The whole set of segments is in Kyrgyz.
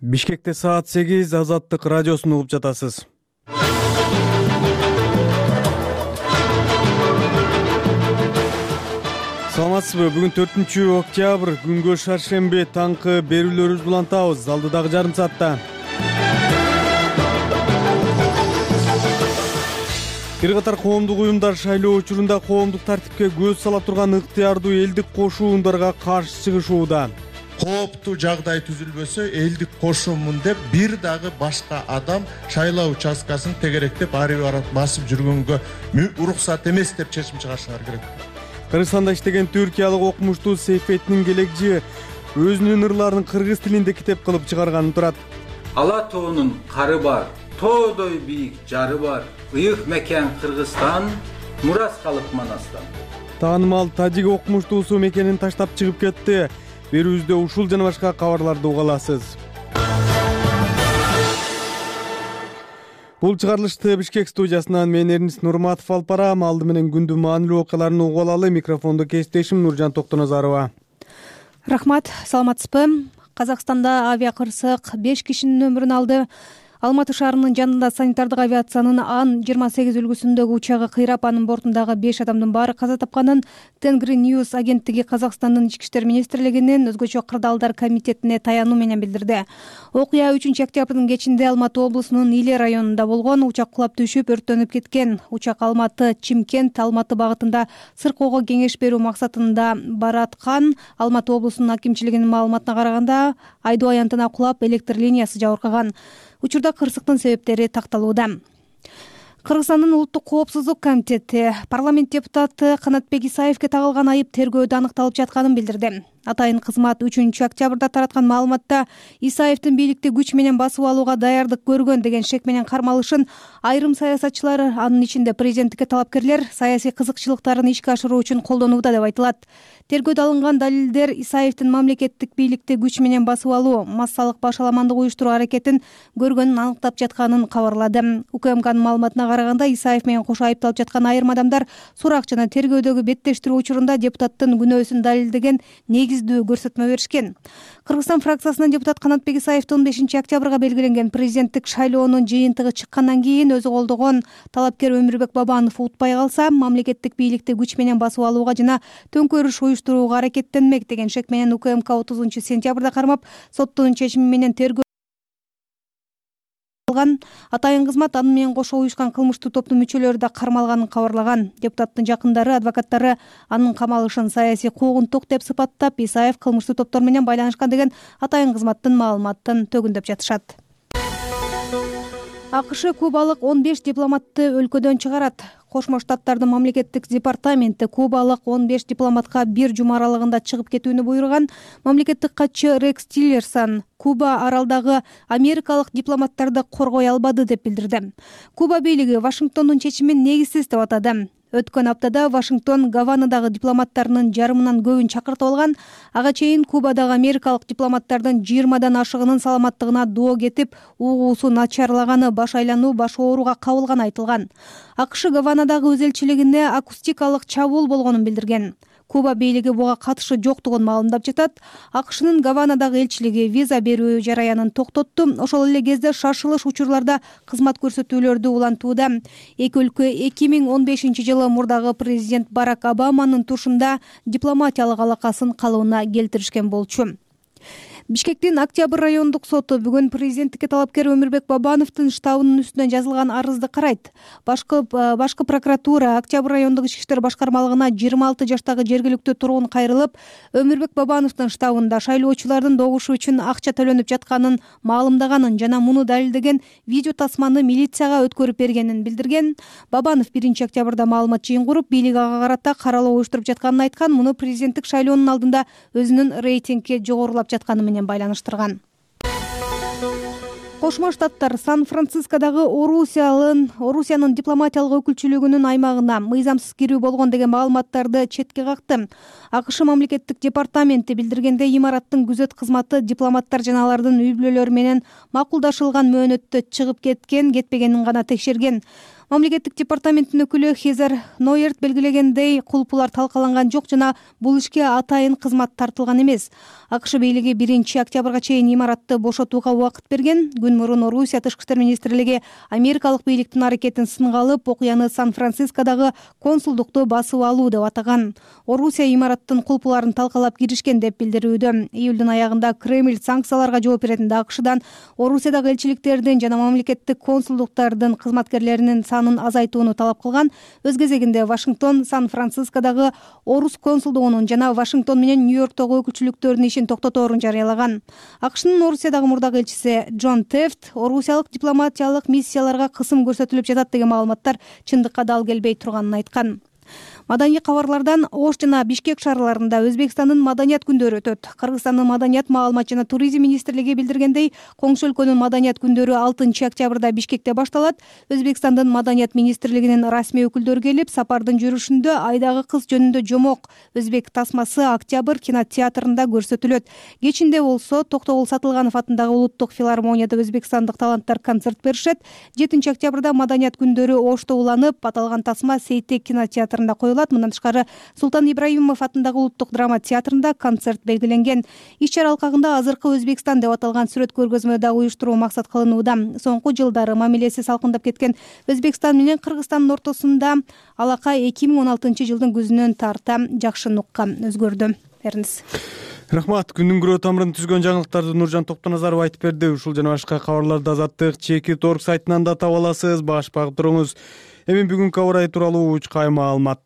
Бишкекте саат 8 Азаттык радиосун угуп жатасыз. Саламатсызбы? Бүгүн 4-октябрь, күнгө шаршемби, таңкы берүүлөрүбүздү улантабыз. Алдыдагы жарым саатта бир катар коомдук уюмдар шайлоо учурунда коомдук тартипке көз сала турган ыктыярдуу элдик кошуундарга каршы чыгышууда. Кооптуу жагдай түзүлбөсө элдик кошумун деп бир дагы башка адам шайлоо участкасын тегеректеп ары бери басып жүргөнгө уруксат эмес деп чечим чыгарышыңар керек. Кыргызстанда иштеген түркиялык окумуштуу Сейфеттин Келекжи өзүнүн ырларын кыргыз тилинде китеп кылып чыгарганын турат. Ала тоонун кары бар, тоодой бийик жары бар. Ыйык мекен Кыргызстан, мурас калып Манастан. Таанымал тажик окумуштуусу мекенин таштап чыгып кетти. Берүүбүздө ушул жана башка кабарларды уга аласыз. Бул чыгарылышты Бишкек студиясынан мен Эрнис Нурматов алып барам. Алды менен күндүн маанилүү окуяларын угуп алалы. Микрофондо кесиптешим Нуржан Токтоназарова. Рахмат, саламатсызбы? Казакстанда авиакырсык 5 кишинин өмүрүн алды. Алматы шаарынын жанында санитардык авиациянын Ан-28 үлгүсүндөгү учагы кыйрап, анын бортундагы 5 адамдын баары каза тапканын Тенгри Ньюс агенттиги Казакстандын Ички иштер министрлигинин өзгөчө кырдаалдар комитетине таянуу менен билдирди. Окуя 3-октябрдын кечинде Алматы облусунун Иле районунда болгон. Учак кулап түшүп, өрттөнүп кеткен. Учак Алматы-Чимкент, Алматы багытында сыркоого кеңеш берүү максатында бараткан. Алматы облусунун акимчилигинин маалыматына караганда, айдоо аянтына кулап, электр линиясы жабыркаган. Учурда кырсыктын себептери такталууда. Кыргызстандын улуттук коопсуздук комитети парламент депутаты Канатбек Исаевге тагылган айып тергөөдө аныкталып жатканын билдирди. Атайын кызмат 3-октябрда тараткан маалыматта Исаевдин бийликти күч менен басып алууга даярдык көргөн деген шек менен кармалышын айрым саясатчылар, анын ичинде президенттикке талапкерлер саясий кызыкчылыктарын ишке ашыруу үчүн колдонууда деп айтылат. Тергөөдө алынган далилдер Исаевдин мамлекеттик бийликти күч менен басып алуу, массалык башаламандык уюштуруу аракетин көргөнүн аныктап жатканын кабарлады. УКМКнын маалыматына караганда, Исаев менен кошо айыпталып жаткан айрым адамдар сурак жана тергөөдөгү беттештирүү учурунда депутаттын күнөөсүн далилдеген негиздүү көрсөтмө беришкен. Кыргызстан фракциясынын депутат Канатбек Исаевдин 15-октябрга белгиленген президенттик шайлоонун жыйынтыгы чыккандан кийин өзү колдогон талапкер Өмүрбек Бабанов утпай калса, мамлекеттик бийликти күч менен басып алууга жана төңкөрүш уюштурууга аракеттенмек деген шек менен УКМК 30-сентябрда кармап, соттун чечими менен тергөө алган. Атайын кызмат аны менен кошо уюшкан кылмыштуу топтун мүчөлөрү да кармалганын кабарлаган. Депутаттын жакындары, адвокаттары анын камалышын саясий куугунтук деп сыпаттап, Исаев кылмыштуу топтор менен байланышкан деген атайын кызматтын маалыматын төгүндөп жатышат. АКШ кубалык 15 дипломатты өлкөдөн чыгарат. Кошмо Штаттардын мамлекеттик департаменти кубалык 15 дипломатка бир жума аралыгында чыгып кетүүнү буйруган. Мамлекеттик катчы Рекс Тиллерсон Куба аралдагы америкалык дипломаттарды коргой албады деп билдирди. Куба бийлиги Вашингтондун чечимин негизсиз деп атады. Өткөн аптада Вашингтон Гаванадагы дипломаттарынын жарымынан көбүн чакыртып алган. Ага чейин Кубадагы америкалык дипломаттардын 20дан ашыгынын саламаттыгына доо кетип, угуусу начарлаганы, баш айлануу, баш ооруга кабылганы айтылган. АКШ Гаванадагы өз элчилигине акустикалык чабуул болгонун билдирген. Куба бийлиги буга катышы жоктугун маалымдап жатат. АКШнын Гаванадагы элчилиги виза берүү жараянын токтотту. Ошол эле кезде шашылыш учурларда кызмат көрсөтүүлөрдү улантууда. Эки өлкө 2015-жылы мурдагы президент Барак Обаманын тушунда дипломатиялык алакасын калыбына келтиришкен болчу. Бишкектин Октябрь райондук соту бүгүн президенттикке талапкер Өмүрбек Бабановдун штабынын үстүнө жазылган арызды карайт. Башкы прокуратура Октябрь райондук ички иштер башкармалыгына 26 жаштагы жергиликтүү тургун кайрылып, Өмүрбек Бабановдун штабында шайлоочулардын добушу үчүн акча төлөнүп жатканын маалымдаганын жана муну далилдеген видео тасманы милицияга өткөрүп бергенин билдирген. Бабанов 1-октябрда маалымат жыйын куруп, бийлик ага карата каралоо уюштуруп жатканын айткан. Муну президенттик шайлоонун алдында өзүнүн рейтингге жогорулап жатканы менен байланыштырган. Кошмо Штаттар Сан-Францискодагы Орусиянын дипломатиялык өкүлчүлүгүнүн аймагына мыйзамсыз кирүү болгон деген маалыматтарды четке какты. АКШ мамлекеттик департаменти билдиргенде, имараттын күзөт кызматы дипломаттар жана алардын үй бүлөлөрү менен макулдашылган мөөнөттө чыгып кеткен, кетпегенин гана текшерген. Мамлекеттик департаменттин өкүлү Хезер Нойерт белгилегендей, кулпулар талкаланган жок жана бул ишке атайын кызмат тартылган эмес. АКШ бийлиги 1 октябрга чейин имаратты бошотууга убакыт берген. Күн мурун Орусия тышкы иштер министрлиги америкалык бийликтин аракетин сынга алып, окуяны Сан-Францискодогу консулдукту басып алуу деп атаган. Орусия имараттын кулпуларын талкалап киришкен деп билдирүүдө. Июлдун аягында Кремль санкцияларга жооп беретин АКШдан Орусиядагы элчиликтердин жана мамлекеттик консулдуктардын кызматкерлеринин санын азайтууну талап кылган. Өз кезегинде Вашингтон Сан-Францискодогу орус консулдугунун жана Вашингтон менен Нью-Йорктогу өкүлчүлүктөрдүн ишин токтоторун жарыялаган. АКШнын Орусиядагы мурдагы элчиси Джон Тефт орусиялык дипломатиялык миссияларга кысым көрсөтүлүп жатат деген маалыматтар чындыкка дал келбей турганын айткан. Маданий кабарлардан Ош жана Бишкек шаарларында Өзбекстандын маданият күндөрү өтөт. Кыргызстандын маданият, маалымат жана туризм министрлиги билдиргендей, коңшу өлкөнүн маданият күндөрү 6 октябрда Бишкекте башталат. Өзбекстандын маданият министрлигинин расмий өкүлдөрү келип, сапардын жүрүшүндө Айдагы кыз жөнүндө жомок өзбек тасмасы Октябрь кинотеатрында көрсөтүлөт. Кечинде болсо Токтогул Сатылганов атындагы улуттук филармонияда өзбекстандык таланттар концерт беришет. 7 октябрда маданият күндөрү Ошто уланып, аталган тасма Сейтек кинотеатрында коюлат. Мындан тышкары Султан Ибраимов атындагы улуттук драма театрында концерт белгиленген. Иш-чара алкагында азыркы Өзбекстан деп аталган сүрөт көргөзмө да уюштуруу максат кылынууда. Соңку жылдары мамилеси салкындап кеткен Өзбекстан менен Кыргызстандын ортосунда алака 2016-жылдын күзүнөн тарта жакшы нукка өзгөрдү. Эрнис. Рахмат. Күндүн күрөө тамырын түзгөн жаңылыктарды Нуржан Токтоназаров айтып берди. Ушул жана башка кабарларды Азаттык Чекит.орг сайтынан да таба аласыз. Баш багып туруңуз. Эми бүгүнкү аба ырайы тууралуу учкай маалымат.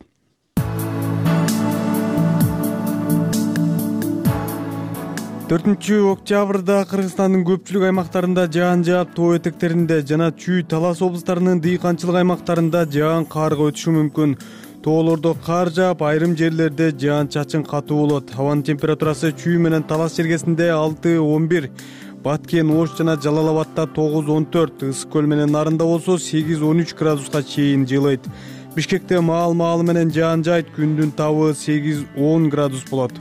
4 октябрда Кыргызстандын көпчүлүк аймактарында жаан жаап, тоо этектеринде жана Чүй, Талас облустарынын дыйканчылык аймактарында жаан карга өтүшү мүмкүн. Тоолордо кар жаап, айрым жерлерде жаан чачын катуу болот. Абанын температурасы Чүй менен Талас жергесинде 6-11, Баткен, Ош жана Жалал Абадта 9-14, Ысык көл менен Нарында болсо 8-13 градуска чейин жылыйт. Бишкекте маал менен жаан жайт, күндүн табы 8-10 градус болот.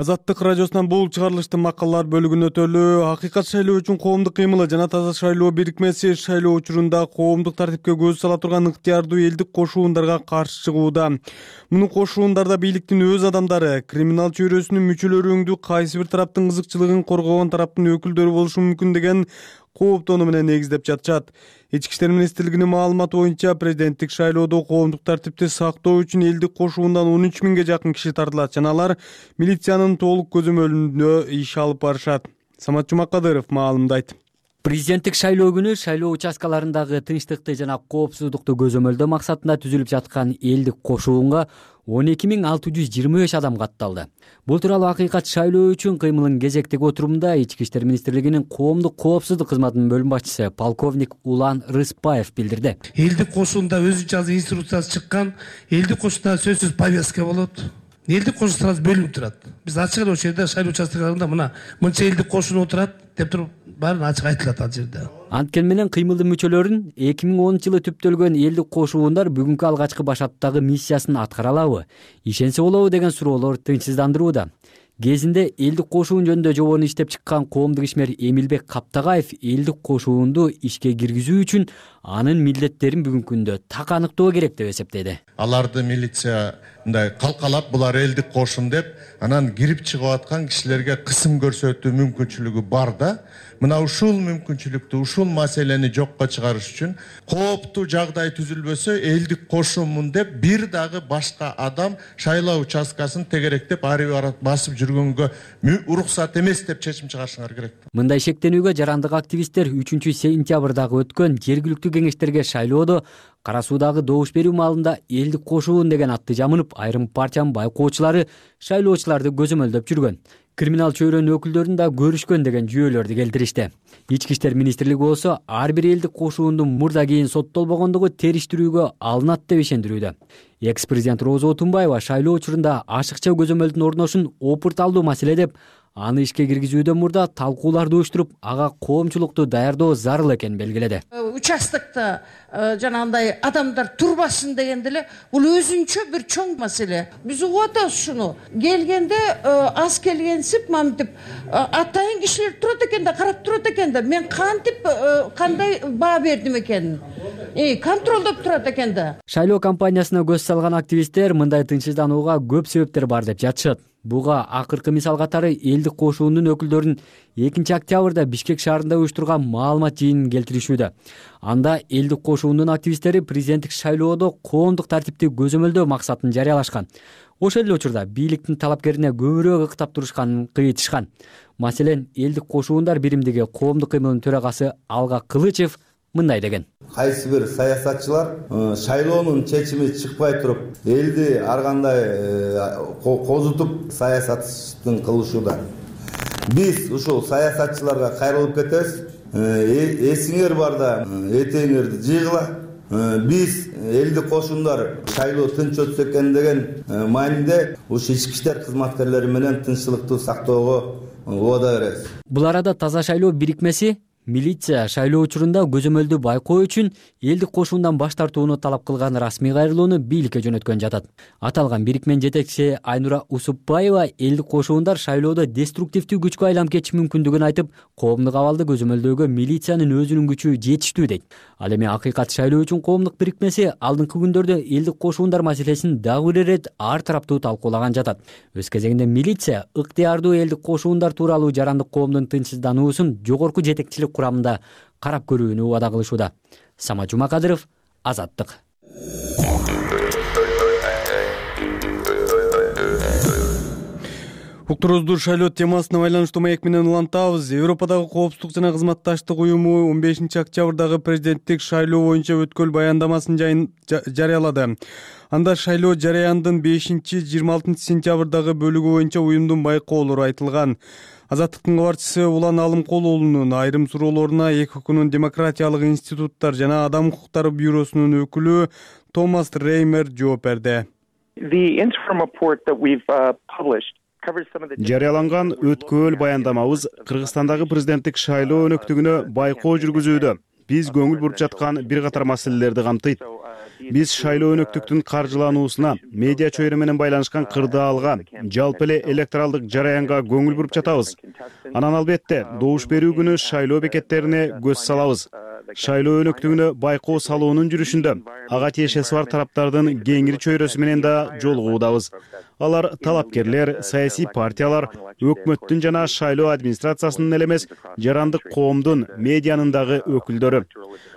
Азаттык радиосунан бул чыгарылыштын макалалар бөлүгүнө өтөлү. Акыйкат шайлоо үчүн коомдук кыймылы жана Таза шайлоо бирикмеси шайлоо учурунда коомдук тартипке көз сала турган ыктыярдуу элдик кошуундарга каршы чыгууда. Муну кошуундарда бийликтин өз адамдары, криминал чөйрөсүнүн мүчөлөрү өңдүү кайсы бир тараптын кызыкчылыгын коргогон тараптын өкүлдөрү болушу мүмкүн деген кооптоону менен негиздеп жатышат. Ички иштер министрлигинин маалыматы боюнча, президенттик шайлоодо коомдук тартипти сактоо үчүн элдик кошуундан 13 000ге жакын киши тартылат жана алар милициянын толук көзөмөлүндө иш алып барышат. Самат Жумакадыров маалымдайт. Президенттик шайлоо күнү шайлоо участкаларындагы тынчтыкты жана коопсуздукту көзөмөлдөө максатында түзүлүп жаткан элдик кошуунга 12.625 адам катталды. Бул тууралуу Акыйкат шайлоо үчүн кыймылын кезектеги отурумда Ички иштер министрлигинин коомдук коопсуздук кызматынын бөлүм башчысы полковник Улан Рыспаев билдирди. Элдик кошуунда өзүнчө инструкциясы чыккан, элдик кошуунда сөзсүз повестка болот. Элдик кошуу сразу бөлүнүп турат. Биз ачык эле ошол жерде шайлоо участкаларында мына мынча элдик кошуун отурат деп туруп баарын ачык айтылат ал жерде. Анткени менен кыймылдын мүчөлөрүн 2010-жылы түптөлгөн элдик кошуундар бүгүнкү алгачкы башаттагы миссиясын аткара алабы, ишенсе болобу деген суроолор тынчсыздандырууда. Кезинде элдик кошуун жөнүндө жобону иштеп чыккан коомдук ишмер Эмилбек Каптагаев элдик кошуунду ишке киргизүү үчүн анын милдеттерин бүгүнкү күндө так аныктоо керек деп эсептеди. Аларды милиция мындай калкалап, булар элдик кошун деп, анан кирип чыгып аткан кишилерге кысым көрсөтүү мүмкүнчүлүгү бар да. Мына ушул мүмкүнчүлүктү, ушул маселени жокко чыгарыш үчүн кооптуу жагдай түзүлбөсө, элдик кошумун деп бир дагы башка адам шайлоо участкасын тегеректеп ары бара басып жүргөнгө уруксат эмес деп чечим чыгарышыңар керек. Мындай шектенүүгө жарандык активисттер 3-сентябрдагы өткөн жергиликтүү кеңештерге шайлоодо Кара Суудагы добуш берүү маалында элдик кошуун деген атты жамынып, айрым партиянын байкоочулары шайлоочуларды көзөмөлдөп жүргөн. Криминал чөйрөнүн өкүлдөрүн да көрүшкөн деген жүйөлөрдү келтиришти. Ички иштер министрлиги болсо ар бир элдик кошуундун мурда кийин соттолбогондугу териштирүүгө алынат деп ишендирүүдө. Экс-президент Роза Отунбаева шайлоо учурунда ашыкча көзөмөлдүн орношун опурт алдуу маселе деп, аны ишке киргизүүдөн мурда талкууларды уюштуруп, ага коомчулукту даярдоо зарыл экенин белгиледи. Участокто жанагындай адамдар турбасын дегенде эле бул өзүнчө бир чоң маселе. Биз угуп атабыз ушуну. Келгенде аз келгенсип мамтип атайын кишилер турат экен да, карап турат экен да. Мен кантип кандай баа бердим экен? Контролдоп турат экен да. Шайлоо кампаниясына көз салган активисттер мындай тынчсызданууга көп себептер бар деп жатышат. Буга акыркы мисал катары элдик кошуунун өкүлдөрүнүн 2-октябрда Бишкек шаарында уюштурган маалымат жыйынын келтиришүүдө. Анда элдик кошуунун активисттери президенттик шайлоодо коомдук тартипти көзөмөлдөө максатын жарыялашкан. Ошол эле учурда бийликтин талапкерине көбүрөөк ыктап турушканын кыйтышкан. Маселен, элдик кошуундар биримдиги коомдук кыймылынын төрагасы Алга Кылычев мындай деген: кайсы бир саясатчылар шайлоонун чечими чыкпай туруп элди ар кандай козутуп саясаттын кылышууда. Биз ушул саясатчыларга кайрылып кетебиз. Эсиңер барда этеңерди жыйгыла. Биз элдик кошуундар шайлоо тынч өтсө экен деген маанинде ушул ички иштер кызматкерлери менен тынччылыкты сактоого убада беребиз. Бул арада Таза шайлоо бирикмеси милиция шайлоо учурунда көзөмөлдү байкоо үчүн элдик кошуундан баш тартууну талап кылган расмий кайрылууну бийликке жөнөткөн жатат. Аталган бирикменин жетекчиси Айнура Усупбаева элдик кошуундар шайлоодо деструктивдүү күчкө айланып кетиши мүмкүндүгүн айтып, коомдук абалды көзөмөлдөөгө милициянын өзүнүн күчү жетиштүү дейт. Ал эми Акыйкат шайлоо үчүн коомдук бирикмеси алдыңкы күндөрдө элдик кошуундар маселесин дагы бир ирет ар тараптуу талкуулаган жатат. Өз кезегинде милиция ыктыярдуу элдик кошуундар тууралуу жарандык коомдун тынчсыздануусун жогорку жетекчилик курамында карап көрүүнү убада кылышууда. Сама Жумакадыров, Азаттык. Уктуруубузду шайлоо темасына байланыштуу маек менен улантабыз. Европадагы коопсуздук жана кызматташтык уюму 15-октябрдагы президенттик шайлоо боюнча өткөл баяндамасын жарыялады. Анда шайлоо жарыяндын 5-26 сентябрдагы бөлүгү боюнча уюмдун байкоолору айтылган. Азаттыктын кабарчысы Улан Алымкол уулунун айрым суроолоруна ЭКОКунун демократиялык институттар жана адам укуктары бюросунун өкүлү Томас Реймер жооп берди. Жарыяланган өткөл баяндамабыз Кыргызстандагы президенттик шайлоо өнөктүгүнө байкоо жүргүзүүдө биз көңүл буруп жаткан бир катар маселелерди камтыйт. Биз шайлоо өнөктүктүн каржылануусуна, медиа чөйрө менен байланышкан кырдаалга, жалпы эле электоралдык жараянга көңүл буруп жатабыз. Анан албетте, добуш берүү күнү шайлоо бекеттерине көз салабыз. Шайлоо өнөктүгүнө байкоо салуунун жүрүшүндө ага тиешеси бар тараптардын кеңири чөйрөсү менен да жолугуудабыз. Алар талапкерлер, саясий партиялар, өкмөттүн жана шайлоо администрациясынын эле эмес, жарандык коомдун, медианын дагы өкүлдөрү.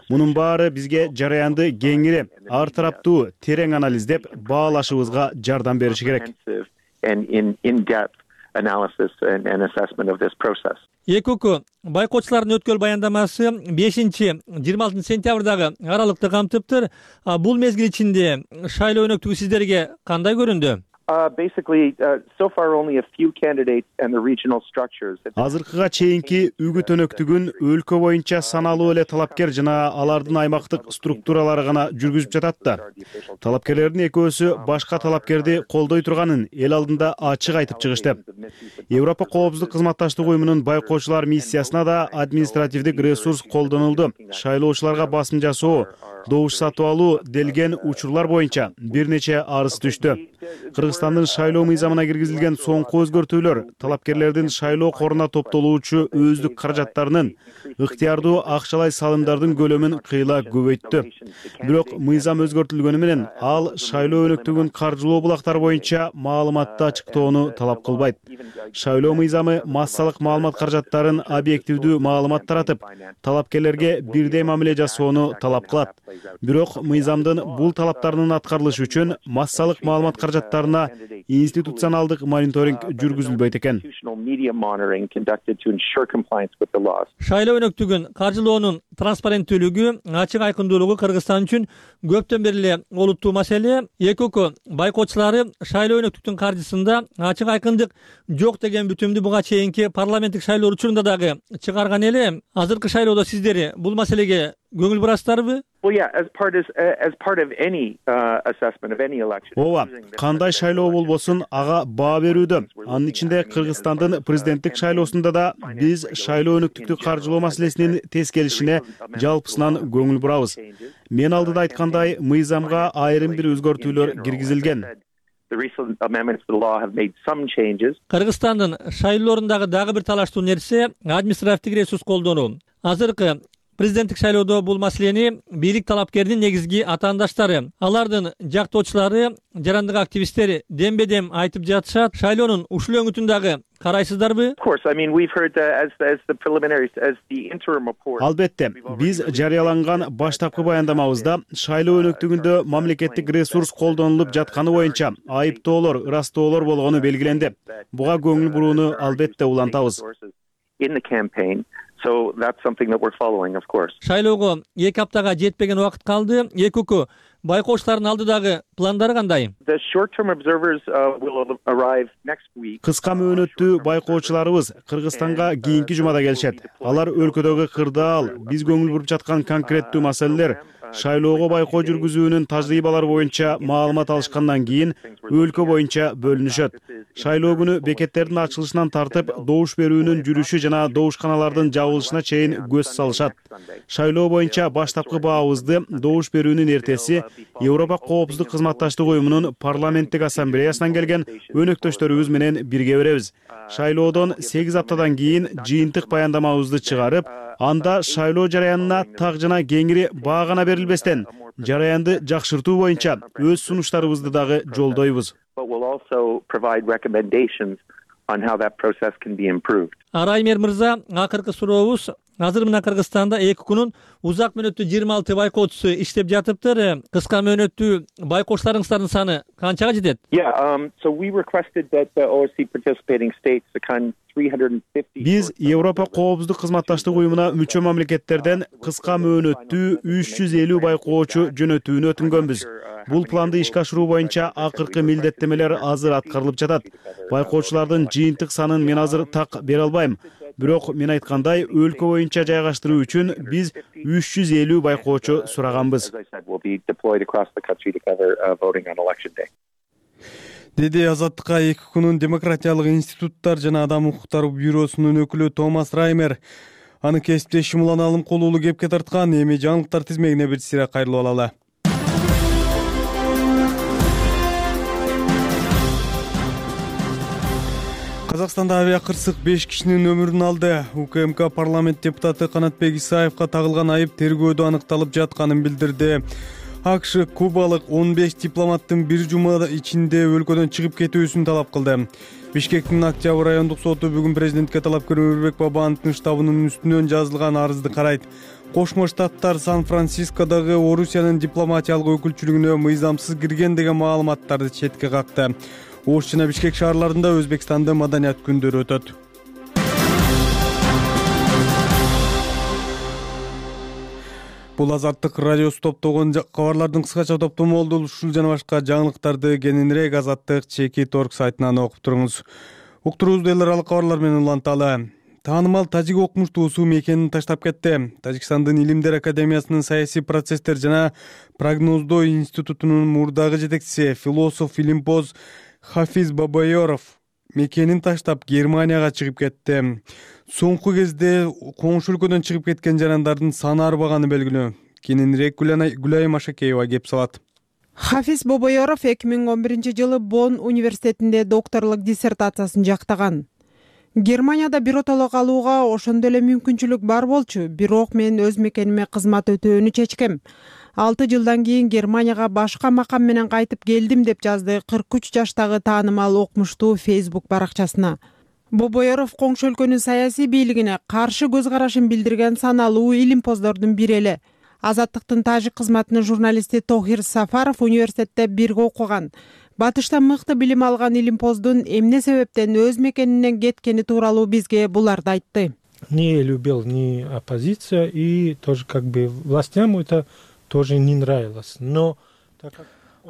Мунун баары бизге жараянды кеңири, ар тараптуу, терең анализдеп, баалашыбызга жардам бериши керек. ЭКОК байкоочулардын өткөл баяндамасы 5-26 сентябрдагы аралыкты камтыптыр. Бул мезгил ичинде шайлоо өнөктүгү сиздерге кандай көрүндү? Азыркыга чейинки үгүт өнөктүгүн өлкө боюнча саналуу эле талапкер жана алардын аймактык структуралары гана жүргүзүп жатат да. Талапкерлердин экөөсү башка талапкерди колдой турганын эл алдында ачык айтып чыгышты. Европа коопсуздук кызматташтык уюмунун байкоочулар миссиясына да административдик ресурс колдонулду. Шайлоочуларга басым жасоо, добуш сатып алуу делген учурлар боюнча бир нече арыз түштү. Кыргызстандын шайлоо мыйзамына киргизилген соңку өзгөртүүлөр талапкерлердин шайлоо коруна топтолуучу өздүк каражаттарынын ыктыярдуу акчалай салымдардын көлөмүн кыйла көбөйттү. Бирок мыйзам өзгөртүлгөнү менен ал шайлоо өнөктүгүн каржылоо булактары боюнча маалыматты ачыктоону талап кылбайт. Шайлоо мыйзамы массалык маалымат каражаттарын объективдүү маалымат таратып, талапкерлерге бирдей мамиле жасоону талап кылат. Бирок мыйзамдын бул талаптарынын аткарылышы үчүн массалык маалымат каражаттарына институционалдык мониторинг жүргүзүлбөйт экен. Шайлоо өнөктүгүн каржылоонун транспаrenттүүлүгү, ачык айкындуулугу Кыргызстан үчүн көптөн бери эле олуттуу маселе. ЭКОК байкоочулары шайлоо өнөктүктүн каржысында ачык айкындык жок деген бүтүмдү буга чейинки парламенттик шайлоо учурунда дагы чыгарган эле. Азыркы шайлоодо сиздер бул маселеге көңүл бурасыздарбы? ооба, кандай шайлоо болбосун ага баа берүүдө, анын ичинде Кыргызстандын президенттик шайлоосунда да биз шайлоо өнөктүктү каржылоо маселесинин тез келишине жалпысынан көңүл бурабыз. Мен алдыда айткандай, мыйзамга айрым бир өзгөртүүлөр киргизилген. Кыргызстандын шайлоолорундагы дагы бир талаштуу нерсе административдик ресурс колдонуу. Азыркы президенттик шайлоодо бул маселени бийлик талапкердин негизги атаандаштары, алардын жактоочулары, жарандык активисттери дембе-дем айтып жатышат. Шайлоонун ушул өңүтүн дагы карайсыздарбы? Албетте, биз жарыяланган баштапкы баяндамабызда шайлоо өнөктүгүндө мамлекеттик ресурс колдонулуп жатканы боюнча айыптоолор, ырастоолор болгону белгиленди. Буга көңүл бурууну албетте улантабыз. Шайлоого 2 аптага жетпеген убакыт калды. ЭКОК байкоочулардын алдыдагы пландары кандай? Кыска мөөнөттүү байкоочуларыбыз Кыргызстанга кийинки жумада келишет. Алар өлкөдөгү кырдаал, биз көңүл буруп жаткан конкреттүү маселелер, шайлоого байкоо жүргүзүүнүн тажрыйбалары боюнча маалымат алышкандан кийин өлкө боюнча бөлүнүшөт. Шайлоо күнү бекеттердин ачылышынан тартып, добуш берүүнүн жүрүшү жана добушканалардын жабылышына чейин көз салышат. Шайлоо боюнча баштапкы баабызды добуш берүүнүн эртеси Европа коопсуздук кызматташтык уюмунун парламенттик ассамблеясынан келген өнөктөштөрүбүз менен бирге беребиз. Шайлоодон 8 аптадан кийин жыйынтык баяндамабызды чыгарып, анда шайлоо жараянына так жана кеңири баа гана берилбестен, жараянды жакшыртуу боюнча өз сунуштарыбызды дагы жолдойбуз. Араймер мырза, акыркы сурообуз. Азыр мына Кыргызстанда ЭКОКнун узак мөөнөттүү 26 байкоочусу иштеп жатыптыр. Кыска мөөнөттүү байкоочуларыңыздардын саны канчага жетет? Биз Европа коопсуздук кызматташтык уюмуна мүчө мамлекеттерден кыска мөөнөттүү 350 байкоочу жөнөтүүнү өтүнгөнбүз. Бул планды ишке ашыруу боюнча акыркы милдеттемелер азыр аткарылып жатат. Байкоочулардын жыйынтык санын мен азыр так бере албайм. Бирок мен айткандай, өлкө боюнча жайгаштыруу үчүн биз 350 байкоочу сураганбыз. Деди Азаттыкка ЭКОКнун демократиялык институттар жана адам укуктары бюросунун өкүлү Томас Раймер. Аны кесиптешим Улан Алымкул уулу кепке тарткан. Эми жаңылыктар тизмегине бир сыйра кайрылып алалы. Казакстанда авиакырсык 5 кишинин өмүрүн алды. УКМК парламент депутаты Канатбек Исаевга тагылган айып тергөөдө аныкталып жатканын билдирди. АКШ кубалык 15 дипломаттын бир жума ичинде өлкөдөн чыгып кетүүсүн талап кылды. Бишкектин Октябрь райондук соту бүгүн президентке талапкер Өмүрбек Бабановдун штабынын үстүнөн жазылган арызды карайт. Кошмо Штаттар Сан-Францискодогу Орусиянын дипломатиялык өкүлчүлүгүнө мыйзамсыз кирген деген маалыматтарды четке какты. Ош жана Бишкек шаарларында Өзбекстанда маданият күндөрү өтөт. Бул Азаттык радиосу топтогон кабарлардын кыскача топтому болду. Ушул жана башка жаңылыктарды кененирээк Азаттык Чекит.org сайтынан окуп туруңуз. Уктуруубузду эл аралык кабарлар менен уланталы. Таанымал тажик окумуштуусу мекенин таштап кетти. Тажикстандын Илимдер академиясынын саясий процесстер жана прогноздоо институтунун мурдагы жетекчиси, философ, илимпоз Хафиз Бабайоров мекенин таштап Германияга чыгып кетти. Соңку кезде коңшу өлкөдөн чыгып кеткен жарандардын саны арбаганы белгилүү. Кененирээк Гүлай Машакеева кеп салат. Хафиз Бабайоров 2011-жылы Бонн университетинде докторлук диссертациясын жактаган. Германияда биротолог алууга ошондо эле мүмкүнчүлүк бар болчу, бирок мен өз мекениме кызмат өтөөнү чечкем. 6 жылдан кийин Германияга башка макам менен кайтып келдим деп жазды 43 жаштагы таанымал окумуштуу Facebook баракчасына. Бобоеров коңшу өлкөнүн саясий бийлигине каршы көз карашын билдирген саналуу илимпоздордун бири эле. Азаттыктын тажик кызматынын журналисти Тохир Сафаров университетте бирге окуган. Батышта мыкты билим алган илимпоздун эмне себептен өз мекенинен кеткени тууралуу бизге буларды айтты. Не любил ни оппозиция и тоже как бы властям это тоже не нравилось. Но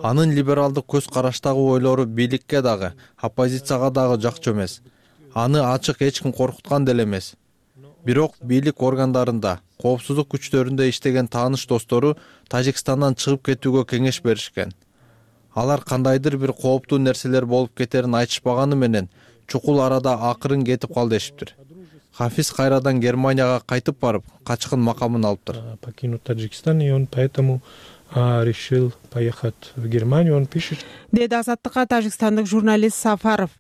анын либералдык көз караштагы ойлору бийликке дагы, оппозицияга дагы жакчу эмес. Аны ачык эч ким коркуткан деле эмес. Бирок бийлик органдарында, коопсуздук күчтөрүндө иштеген тааныш достору Тажикстандан чыгып кетүүгө кеңеш беришкен. Алар кандайдыр бир кооптуу нерселер болуп кетерин айтышпаганы менен чукул арада акырын кетип кал дешиптир. Хафиз кайрадан Германияга кайтып барып, качкын макамын алыптыр. Покинуть Таджикистан, и он поэтому решил поехать в Германию. Он пишет. Деди Азаттыкка тажикстандык журналист Сафаров.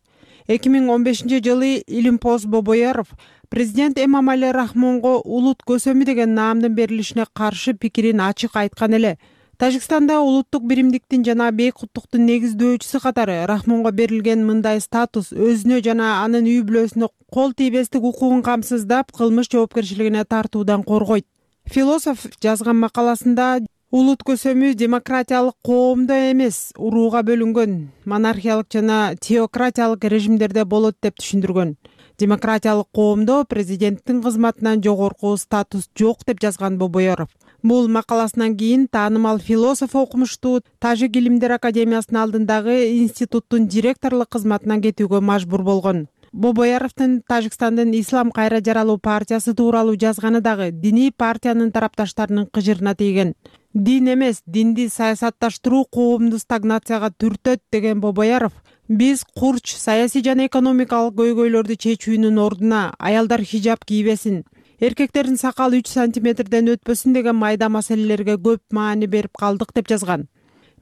2015-жылы Илимпоз Бобояров президент Эмомали Рахмонго улут көсөмү деген наамдын берилишине каршы пикирин ачык айткан эле. Тажикстанда улуттук биримдиктин жана бейкуттуктун негиздөөчүсү катары Рахмонго берилген мындай статус өзүнө жана анын үй бүлөсүнө кол тийбестик укугун камсыздап, кылмыш жоопкерчилигине тартуудан коргойт. Философ жазган макаласында улут көсөмү демократиялык коомдо эмес, урууга бөлүнгөн, монархиялык жана теократиялык режимдерде болот деп түшүндүргөн. Демократиялык коомдо президенттин кызматынан жогорку статус жок деп жазган Бобояров. Бул макаласынан кийин таанымал философ окумуштуу Тажик илимдер академиясынын алдындагы институттун директорлук кызматынан кетүүгө мажбур болгон. Бобояровдун Тажикстандын Ислам кайра жаралуу партиясы тууралуу жазганы дагы диний партиянын тарапташтарынын кыжырына тийген. Дин эмес, динди саясатташтыруу коомду стагнацияга түртөт деген Бобояров, биз курч саясий жана экономикалык көйгөйлөрдү чечүүнүн ордуна аялдар хижаб кийбесин, эркектердин сакалы 3 сантиметрден өтпөсүн деген майда маселелерге көп маани берип калдык деп жазган.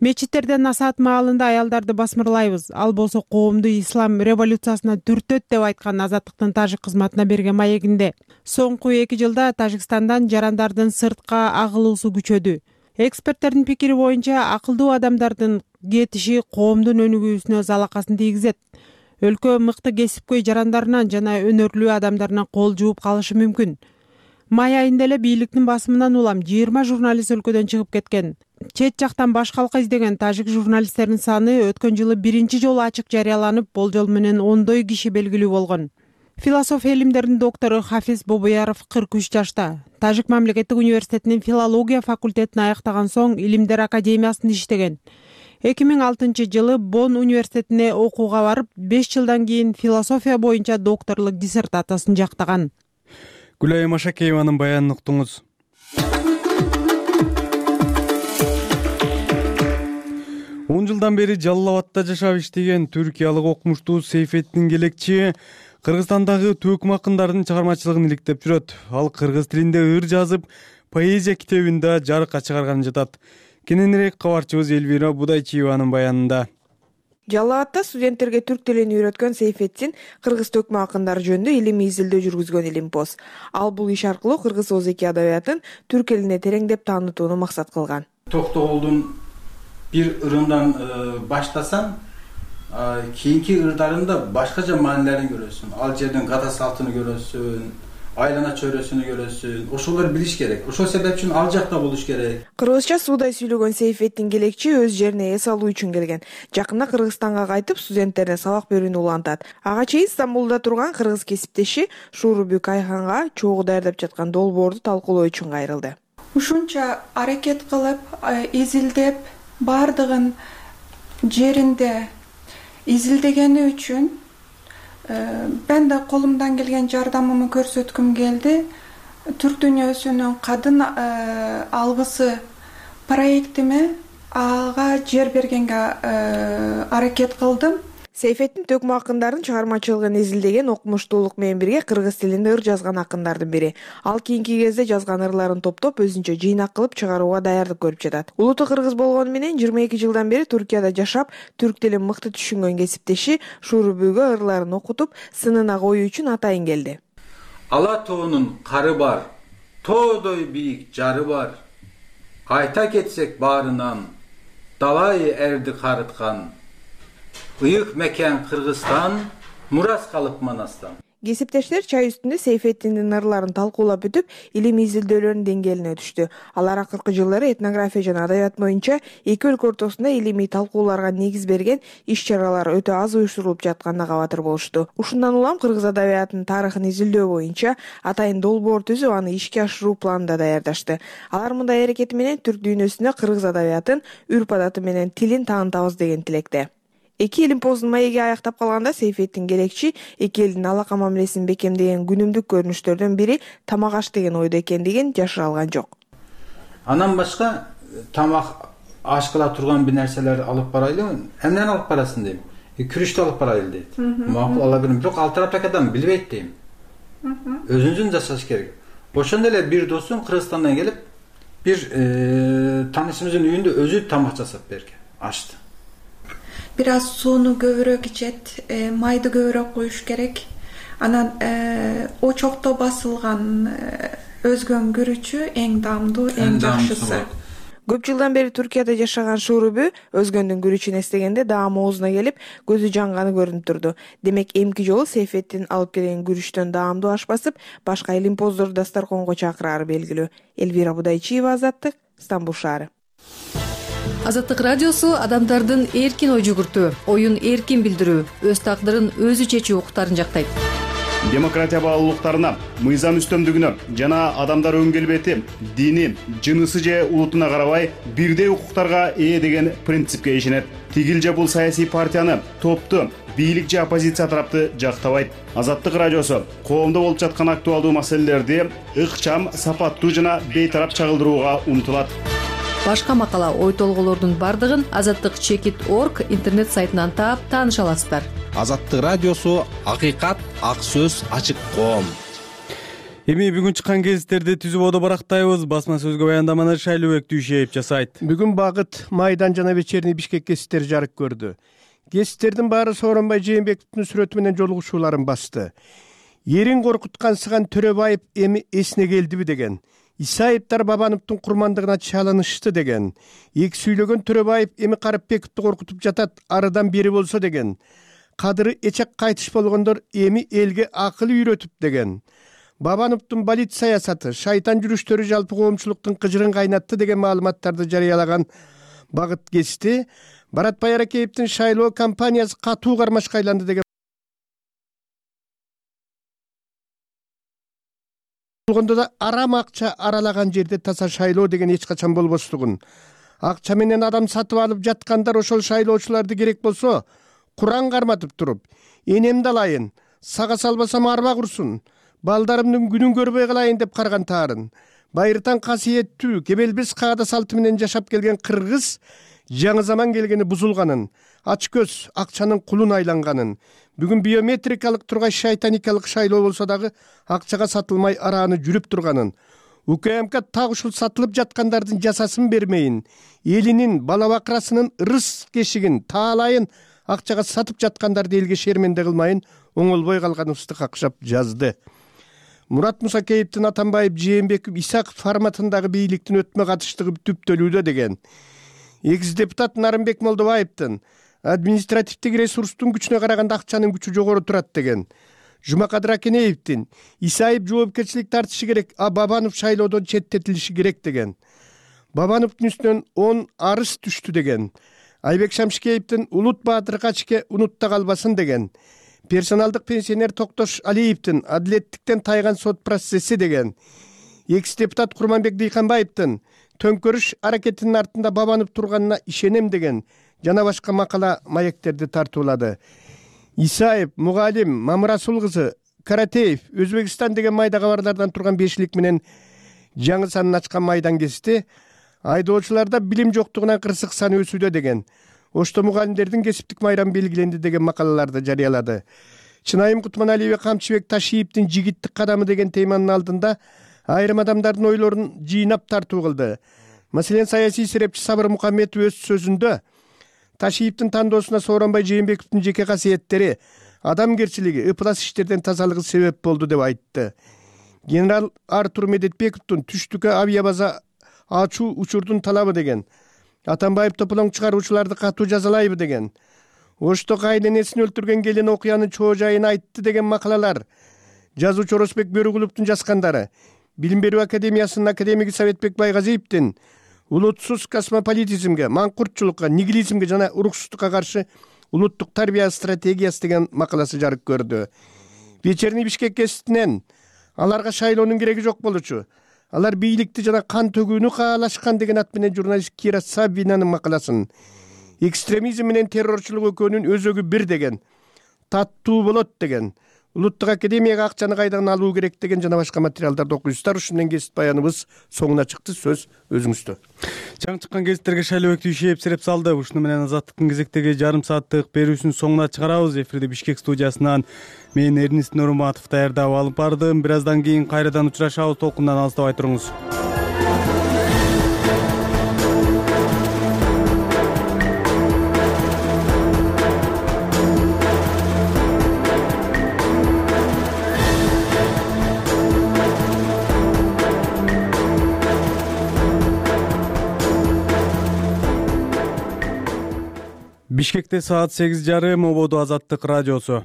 Мечиттерден насаат маалында аялдарды басмырлайбыз, ал болсо коомду ислам революциясына түртөт деп айткан Азаттыктын тажик кызматына берген маегинде. Соңку 2 жылда Тажикстандан жарандардын сыртка агылуусу күчөдү. Эксперттердин пикири боюнча акылдуу адамдардын кетиши коомдун өнүгүүсүнө залакасын тийгизет. Өлкө мыкты кесипкөй жарандарынан жана өнөрлүү адамдарынан кол жууп калышы мүмкүн. Май айында эле бийликтин басымынан улам 20 журналист өлкөдөн чыгып кеткен. Чет жактан баш калка издеген тажик журналисттердин саны өткөн жылы биринчи жолу ачык жарыяланып, болжол менен 10 киши белгилүү болгон. Философ илимдердин доктору Хафиз Бобояров 43 жашта. Тажик мамлекеттик университетинин филология факультетин аяктаган соң илимдер академиясында иштеген. 2006 жылы Бонн университетине окууга барып, 5 жылдан кийин философия боюнча докторлук диссертациясын жактаган. Гүлайым Ашакееванын баянын уктуңуз. Он жылдан бери Жалал Абадта жашап иштеген түркиялык окумуштуу Сейфеттин Келекчи Кыргызстандагы төкүм акындардын чыгармачылыгын иликтеп жүрөт. Ал кыргыз тилинде ыр жазып, поэзия китебин да жарыкка чыгарганы жатат. Кененирээк кабарчыбыз Элвира Будайчиеванын баянында. Жалал Абадта студенттерге түрк тилин үйрөткөн Сейфеттин кыргыз төкмө акындары жөнүндө илимий изилдөө жүргүзгөн Илимпоз. Ал бул иш аркылуу кыргыз озеки адабиятын түрк элине тереңдеп таанытууну максат кылган. Токтогулдун бир ырынан баштасаң, кийинки ырдарында башкача маанилерин көрөсүң. Ал жерден гата салтын көрөсүң, айлана чөйрөсүн көрөсүң. Ошолор билиш керек. Ошол себеп үчүн ал жакта болуш керек. Кыргызча суудай сүйлөгөн Сейфеттин Келекчи өз жерине эс алуу үчүн келген. Жакында Кыргызстанга кайтып, студенттерине сабак берүүнү улантат. Ага чейин Стамбулда турган кыргыз кесиптеши Шурубүк Айханга чогуу даярдап жаткан долбоорду талкуулоо үчүн кайрылды. Ушунча аракет кылып, изилдеп, бардыгын жеринде изилдегени үчүн мен да колумдан келген жардамымы көрсөткүм келди. Түрк дүйнөсүнүн кадын алгысы проектиме ага жер бергенге аракет кылдым. Сейфеттин төкмө акындардын чыгармачылыгын изилдеген окумуштуулук менен бирге кыргыз тилинде ыр жазган акындардын бири. Ал кийинки кезде жазган ырларын топтоп өзүнчө жыйнак кылып чыгарууга даярдык көрүп жатат. Улуту кыргыз болгону менен 22 жылдан бери Түркияда жашап, түрк тилин мыкты түшүнгөн кесиптеши Шурубүгө ырларын окутуп, сынына коюу үчүн атайын келди. Ала тоонун кары бар, тоодой бийик жары бар. Айта кетсек баарынан, далай эрди карыткан. Ыйык мекен Кыргызстан, мурас калып Манастан. Кесиптештер чай үстүндө Сейфеттиндин ырларын талкуулап бүтүп, илимий изилдөөлөрүнүн деңгээлине түштү. Алар акыркы жылдары этнография жана адабият боюнча эки өлкө ортосунда илимий талкууларга негиз берген иш-чаралар өтө аз уюштурулуп жатканына кабатыр болушту. Ушундан улам кыргыз адабиятынын тарыхын изилдөө боюнча атайын долбоор түзүп, аны ишке ашыруу планын да даярдашты. Алар мындай аракети менен түрк дүйнөсүндө кыргыз адабиятын, үрп адаты менен тилин таанытабыз деген тилекте. Эки Олимпоздун маеги аяктап калганда Сейфеттин Керекчи эки элдин алака мамилесин бекемдеген күнүмдүк көрүнүштөрдөн бири тамак аш деген ойдо экендигин жашыра алган жок. Анан башка тамак аш кыла турган бир нерселер алып барайлы. Эмнени алып барасың дейм. Күрүчтү алып барайлы дейт. Макул ала берем. Бирок ал тараптагы адам билбейт дейм. Өзүнүн жашаш керек. Ошондой эле бир досум Кыргызстандан келип, бир таанышыбыздын үйүндө өзү тамак жасап берген, ашты. Бир аз сууну көбүрөөк ичет, майды көбүрөөк коюш керек. Анан очокто басылган өзгөн күрүчү эң даамдуу, эң жакшысы. Көп жылдан бери Туркияда жашаган Шурубү өзгөндүн күрүчүн эстегенде даам оозуна келип, көзү жанганы көрүнүп турду. Демек эмки жолу Сейфеттин алып келген күрүчтөн даамдуу аш басып, башка Олимпоздорду дасторконго чакырары белгилүү. Элвира Будайчиева, Азаттык, Стамбул шаары. Азаттык радиосу адамдардын эркин ой жүгүртүү, оюн эркин билдирүү, өз тагдырын өзү чечүү укуктарын жактайт. Демократия баалуулуктарына, мыйзам үстөмдүгүнө жана адамдар өн келбети, дини, жынысы же улутуна карабай бирдей укуктарга ээ деген принципке ишенет. Тигил же бул саясий партияны, топту, бийлик же оппозиция тарапты жактабайт. Азаттык радиосу коомдо болуп жаткан актуалдуу маселелерди ыкчам, сапаттуу жана бейтарап чагылдырууга умтулат. Башка макала, ой толголордун бардыгын azattik.org интернет сайтынан таап тааныша аласыздар. Азаттык радиосу акыйкат, ак сөз, ачык коом. Эми бүгүн чыккан гезиттерди түзүп одо барактайбыз. Басма сөзгө баяндаманы Шайлообек Дүйшеев жасайт. Бүгүн Багыт, Майдан жана Вечерний Бишкек гезиттери жарык көрдү. Гезиттердин баары Сооронбай Жээнбековдун сүрөтү менен жолугушууларын басты. Эрин коркуткан Сыган Төрөбаев эми эсине келдиби деген. Исаевдер Бабановдун курмандыгына чалынышты деген. Эки сүйлөгөн Төрөбаев эми Карыпбековду коркутуп жатат, арыдан бери болсо деген. Кадыры эчек кайтыш болгондор эми элге акыл үйрөтүп деген. Бабановдун балит саясаты, шайтан жүрүштөрү жалпы коомчулуктун кыжырын кайнатты деген маалыматтарды жарыялаган Багыт гезити Баратбай Аракеевдин шайлоо кампаниясы катуу кармашка айланды деген болгондо да арам акча аралаган жерде таза шайлоо деген эч качан болбостугун. Акча менен адам сатып алып жаткандар ошол шайлоочуларды керек болсо Куран карматып туруп, энемди алайын, сага салбасам арба курсун, балдарымдын күнүн көрбөй калайын деп карган таарын. Байыртан касиеттүү, кебелбес каада салты менен жашап келген кыргыз жаңы заман келгени бузулганын, ач көз, акчанын кулун айланганын, бүгүн биометрикалык тургай шайтаникалык шайлоо болсо дагы акчага сатылмай арааны жүрүп турганын, УКМК так ушул сатылып жаткандардын жасасын бермейин, элинин, бала бакырасынын ырыс кешигин, таалайын акчага сатып жаткандарды элге шерменде кылмайын оңолбой калганыбызды какшап жазды. Мурат Мусакеевдин Атамбаев, Жээнбеков, Исаков форматындагы бийликтин өтмө катыштыгы түптөлүүдө деген. Экс депутат Нарымбек Молдобаевдин административдик ресурстун күчүнө караганда акчанын күчү жогору турат деген. Жумакадыр Акенеевдин Исаев жоопкерчилик тартышы керек, а Бабанов шайлоодон четтетилиши керек деген. Бабановдун үстүнөн 10 арыз түштү деген. Айбек Шамшикеевдин Улут Баатыр Качке унутта калбасын деген. Персоналдык пенсионер Токтош Алиевдин адилеттиктен тайган сот процесси деген. Экс депутат Курманбек Дыйканбаевдин төңкөрүш аракетинин артында Бабанов турганына ишенем деген жана башка макала маектерди тартуулады. Исаев, Мугалим, Мамырасул кызы, Каратеев, Өзбекстан деген майда кабарлардан турган бешилик менен жаңы санын ачкан Майдан гезити айдоочуларда билим жоктугунан кырсык саны өсүүдө деген. Ошто мугалимдердин кесиптик майрам белгиленди деген макалаларды жарыялады. Чынайым Кутманалиева Камчыбек Ташиевдин жигиттик кадамы деген теманын алдында айрым адамдардын ойлорун жыйнап тартуу кылды. Маселен, саясий серепчи Сабыр Мукамметов өз сөзүндө Ташиевдин тандоосуна Сооронбай Жээнбековдун жеке касиеттери, адамгерчилиги, ыплас иштерден тазалыгы себеп болду деп айтты. Генерал Артур Медетбековдун түштүккө авиабаза ачуу учурдун талабы деген. Атамбаев тополоң чыгаруучуларды катуу жазалайбы деген. Ошто кайненесин өлтүргөн келин окуянын чоо жайын айтты деген макалалар. Жазуучу Оросбек Бөрүгүловдун жазгандары. Билим берүү академиясынын академиги Советбек Байгазиевдин улутсуз космополитизмге, маңкуртчулукка, нигилизмге жана уруксуздукка каршы улуттук тарбия стратегиясы деген макаласы жарык көрдү. Вечерний Бишкек гезитинен аларга шайлоонун кереги жок болчу. Алар бийликти жана кан төгүүнү каалашкан деген ат менен журналист Кира Сабинанын макаласын. экстремизм менен террорчулук экөөнүн өзөгү бир деген, таттуу болот деген, улуттук академияга акчаны кайдан алуу керек деген жана башка материалдарды окуйсуздар. Ушу менен кесип баяныбыз соңуна чыкты. Сөз өзүңүздө. Жаңы чыккан гезиттерге шайлоо өктү эпсиреп салды. Ушуну менен Азаттыктын кезектеги жарым сааттык берүүсүнүн соңуна чыгарабыз. Эфирде Бишкек студиясынан мен Эрнист Нурматов даярдап алып бардым. Бир аздан кийин кайрадан учурашабыз. Толкундан алыстабай туруңуз. Бишкекте саат 8:30 ободу Азаттык радиосу.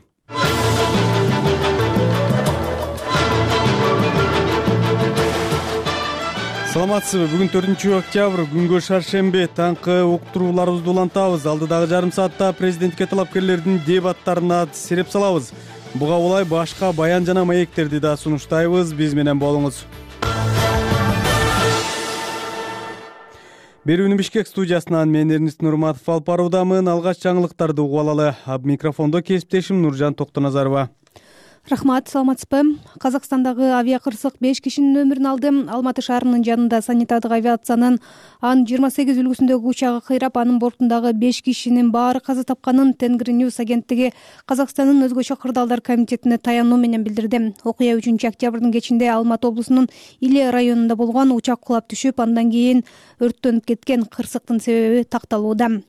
Саламатсызбы? Бүгүн 4-октябрь, күнгө шаршемби. Таңкы уктурууларыбызды улантабыз. Алдыдагы жарым саатта президентке талапкерлердин дебаттарына сереп салабыз. Буга улай башка баян жана маектерди да сунуштайбыз. Биз менен болуңуз. Берүүнү Бишкек студиясынан мен Эрнист Нурматов алып баруудамын. Алгач жаңылыктарды угуп алалы. Микрофондо кесиптешим Нуржан Токтоназарова. Рахмат, саламатсызбы? Казакстандагы авиакырсык 5 кишинин өмүрүн алды. Алматы шаарынын жанында санитардык авиациянын Ан-28 үлгүсүндөгү учагы кыйрап, анын бортундагы 5 кишинин баары каза тапканын Тенгриньюз агенттиги Казакстандын өзгөчө кырдаалдар комитетине таянуу менен билдирди. Окуя 3-октябрдын кечинде Алматы облусунун Иле районунда болгон. Учак кулап түшүп, андан кийин өрттөнүп кеткен. Кырсыктын себеби такталууда.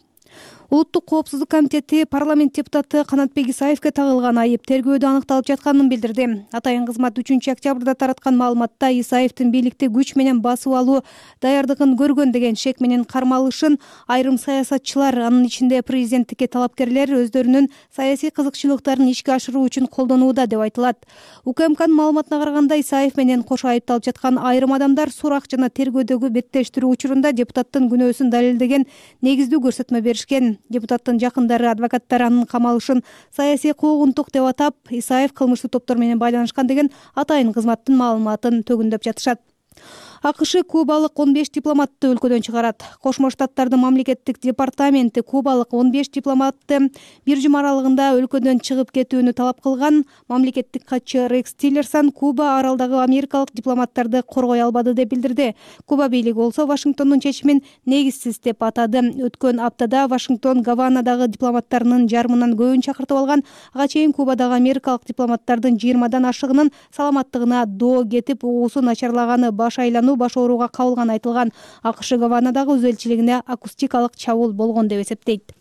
Улуттук коопсуздук комитети парламент депутаты Канатбек Исаевке тагылган айып тергөөдө аныкталып жатканын билдирди. Атайын кызмат 3-октябрда тараткан маалыматта Исаевдин бийликти күч менен басып алуу даярдыгын көргөн деген шек менен кармалышын айрым саясатчылар, анын ичинде президенттикке талапкерлер өздөрүнүн саясий кызыкчылыктарын ишке ашыруу үчүн колдонууда деп айтылат. УКМКнын маалыматына караганда, Исаев менен кошо айыпталып жаткан айрым адамдар сурак жана тергөөдөгү беттештирүү учурунда депутаттын күнөөсүн далилдеген негиздүү көрсөтмө беришкен. Депутаттын жакындары, адвокаттар анын камалышын саясий куугунтук деп атап, Исаев кылмыштуу топтор менен байланышкан деген атайын кызматтын маалыматын төгүндөп жатышат. АКШ кубалык 15 дипломатты өлкөдөн чыгарат. Кошмо Штаттардын мамлекеттик департаменти кубалык 15 дипломатты бир жума аралыгында өлкөдөн чыгып кетүүнү талап кылган. Мамлекеттик катчы Рекс Тиллерсон Куба аралдагы америкалык дипломаттарды коргой албады деп билдирди. Куба бийлиги болсо Вашингтондун чечимин негизсиз деп атады. Өткөн аптада Вашингтон Гаванадагы дипломаттарынын жарымынан көбүн чакыртып алган. Ага чейин Кубадагы америкалык дипломаттардын 20дан ашыгынын саламаттыгына доо кетип, угуусу начарлаганы, баш айлануу, баш ооруга кабылганы айтылган. АКШ Гаванадагы өз элчилигине акустикалык чабуул болгон деп эсептейт.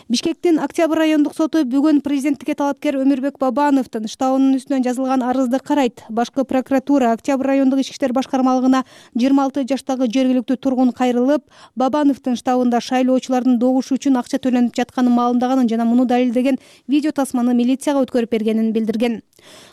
Бишкектин Октябрь райондук соту бүгүн президенттикке талапкер Өмүрбек Бабановдун штабынын үстүнөн жазылган арызды карайт. Башкы прокуратура Октябрь райондук ички иштер башкармалыгына 26 жаштагы жергиликтүү тургун кайрылып, Бабановдун штабында шайлоочулардын добушу үчүн акча төлөнүп жатканын маалымдаганын жана муну далилдеген видео тасманы милицияга өткөрүп бергенин билдирген.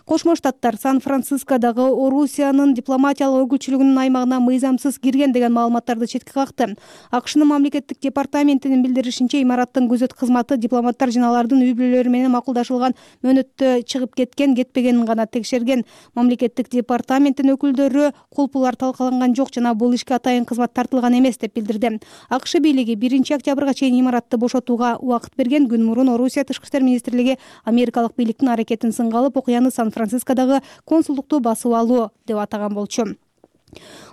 Кошмо Штаттар Сан-Францискодагы Орусиянын дипломатиялык өкүлчүлүгүнүн аймагына мыйзамсыз кирген деген маалыматтарды четке какты. АКШнын мамлекеттик департаментинин билдиришинче, имараттын күзөт кызматы дипломаттар жана алардын үй бүлөлөрү менен макулдашылган мөөнөттө чыгып кеткен-кетпегенин гана текшерген. Мамлекеттик департаменттин өкүлдөрү кулпулар талкаланган жок жана бул ишке атайын кызмат тартылган эмес деп билдирди. АКШ бийлиги 1-октябрга чейин имаратты бошотууга убакыт берген. Күн мурун Орусия тышкы иштер министрлиги америкалык бийликтин аракетин сынга алып, окуяны Сан-Францискодагы консулдукту басып алуу деп атаган болчу.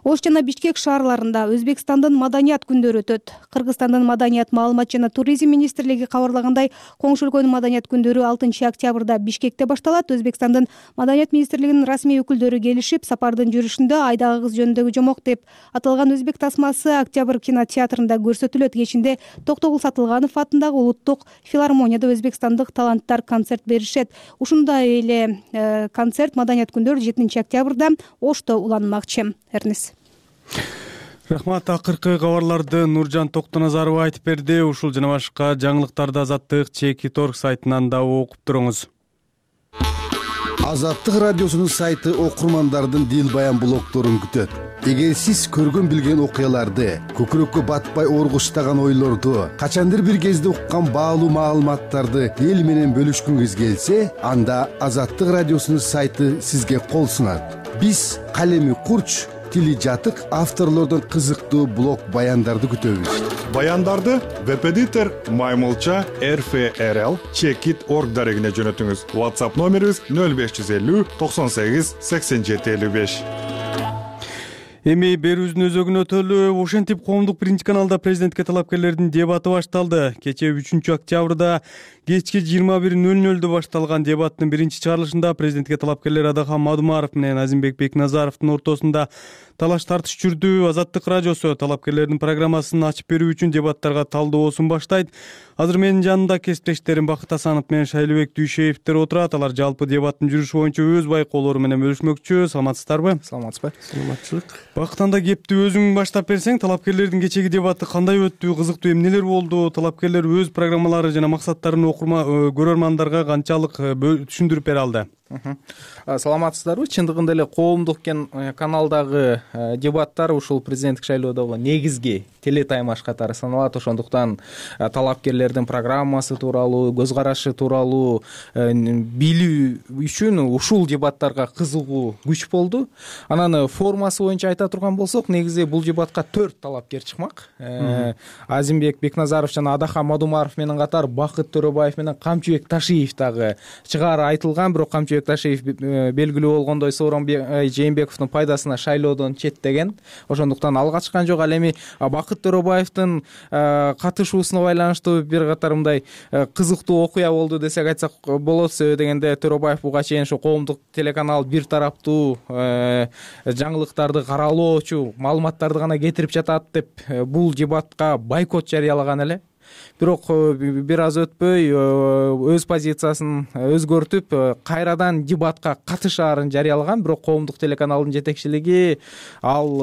Ош жана Бишкек шаарларында Өзбекстандын маданият күндөрү өтөт. Кыргызстандын маданият, маалымат жана туризм министрлиги кабарлагандай, коңшу өлкөнүн маданият күндөрү 6-октябрда Бишкекте башталат. Өзбекстандын маданият министрлигинин расмий өкүлдөрү келишип, сапардын жүрүшүндө айдагы кыз жөнүндөгү жомок деп аталган өзбек тасмасы Октябрь кинотеатрында көрсөтүлөт. Кечинде Токтогул Сатылганов атындагы улуттук филармонияда өзбекстандык таланттар концерт беришет. Ушундай эле концерт маданият күндөрү 7-октябрда Ошто уланмакчы. Эрнис. Рахмат. Акыркы кабарларды Нуржан Токтоназарова айтып берди. Ушул жана башка жаңылыктарды Азаттык Чеки.Торг сайтынан да окуп туруңуз. Азаттык радиосунун сайты окурмандардын дил баян блогдорун күтөт. Эгер сиз көргөн билген окуяларды, көкүрөккө батпай оргуштаган ойлорду, качандыр бир кезде уккан баалуу маалыматтарды эл менен бөлүшкүңүз келсе, анда Азаттык радиосунун сайты сизге кол сунат. Биз калеми курч, тили жатык авторлордон кызыктуу блог баяндарды күтөбүз. Баяндарды веб-эдитор Маймылча RFRL Checkit.org дарегине жөнөтүңүз. WhatsApp номерибиз 0550 98 87 55. Эми берүүбүздүн өзөгүн өтөлү. Ошентип коомдук биринчи каналда президентке талапкерлердин дебаты башталды. Кечээ 3-октябрда кечки 21:00 башталган дебаттын биринчи чыгарылышында президентке талапкерлер Адахан Мадумаров менен Азимбек Бекназаровдун ортосунда талаш тартыш жүрдү. Азаттык радиосу талапкерлердин программасын ачып берүү үчүн дебаттарга талдоосун баштайт. Азыр менин жанымда кесиптештерим Бакыт Асанов менен Шайлыбек Дүйшеевдер отурат. Алар жалпы дебаттын жүрүшү боюнча өз байкоолору менен бөлүшмөкчү. Саламатсыздарбы? Саламатсызбы? Саламатчылык. Бакыт, анда кепти өзүң баштап берсең, талапкерлердин кечеги дебаты кандай өттү, кызыктуу эмнелер болду? Талапкерлер өз программалары жана максаттарын көрөрмандарга канчалык түшүндүрүп бере алды? Саламатсыздарбы? Чындыгында эле коомдук каналдагы дебаттар ушул президенттик шайлоодогу негизги телетаймаш катары саналат. Ошондуктан талапкерлердин программасы тууралуу, көз карашы тууралуу билүү үчүн ушул дебаттарга кызыгуу күч болду. Анан формасы боюнча айта турган болсок, негизи бул дебатка 4 талапкер чыкмак. Азимбек Бекназаров жана Адахан Мадумаров менен катар Бакыт Төрөбаев менен Камчыбек Ташиев дагы чыгаары айтылган, бирок Камчыбек Ташиев белгилүү болгондой Сооронбай Жээнбековдун пайдасына шайлоодон четтеген. Ошондуктан алга чыккан жок. Ал эми Бакыт Төрөбаевдин катышуусуна байланыштуу бир катар мындай кызыктуу окуя болду десек айтсак болот. Себеби дегенде Төрөбаев буга чейин ошо коомдук телеканал бир тараптуу жаңылыктарды каралоочу маалыматтарды гана кетирип жатат деп бул дебатка бойкот жарыялаган эле. Бирок бир аз өтпөй өз позициясын өзгөртүп кайрадан дебатка катышаарын жарыялаган. Бирок коомдук телеканалдын жетекчилиги ал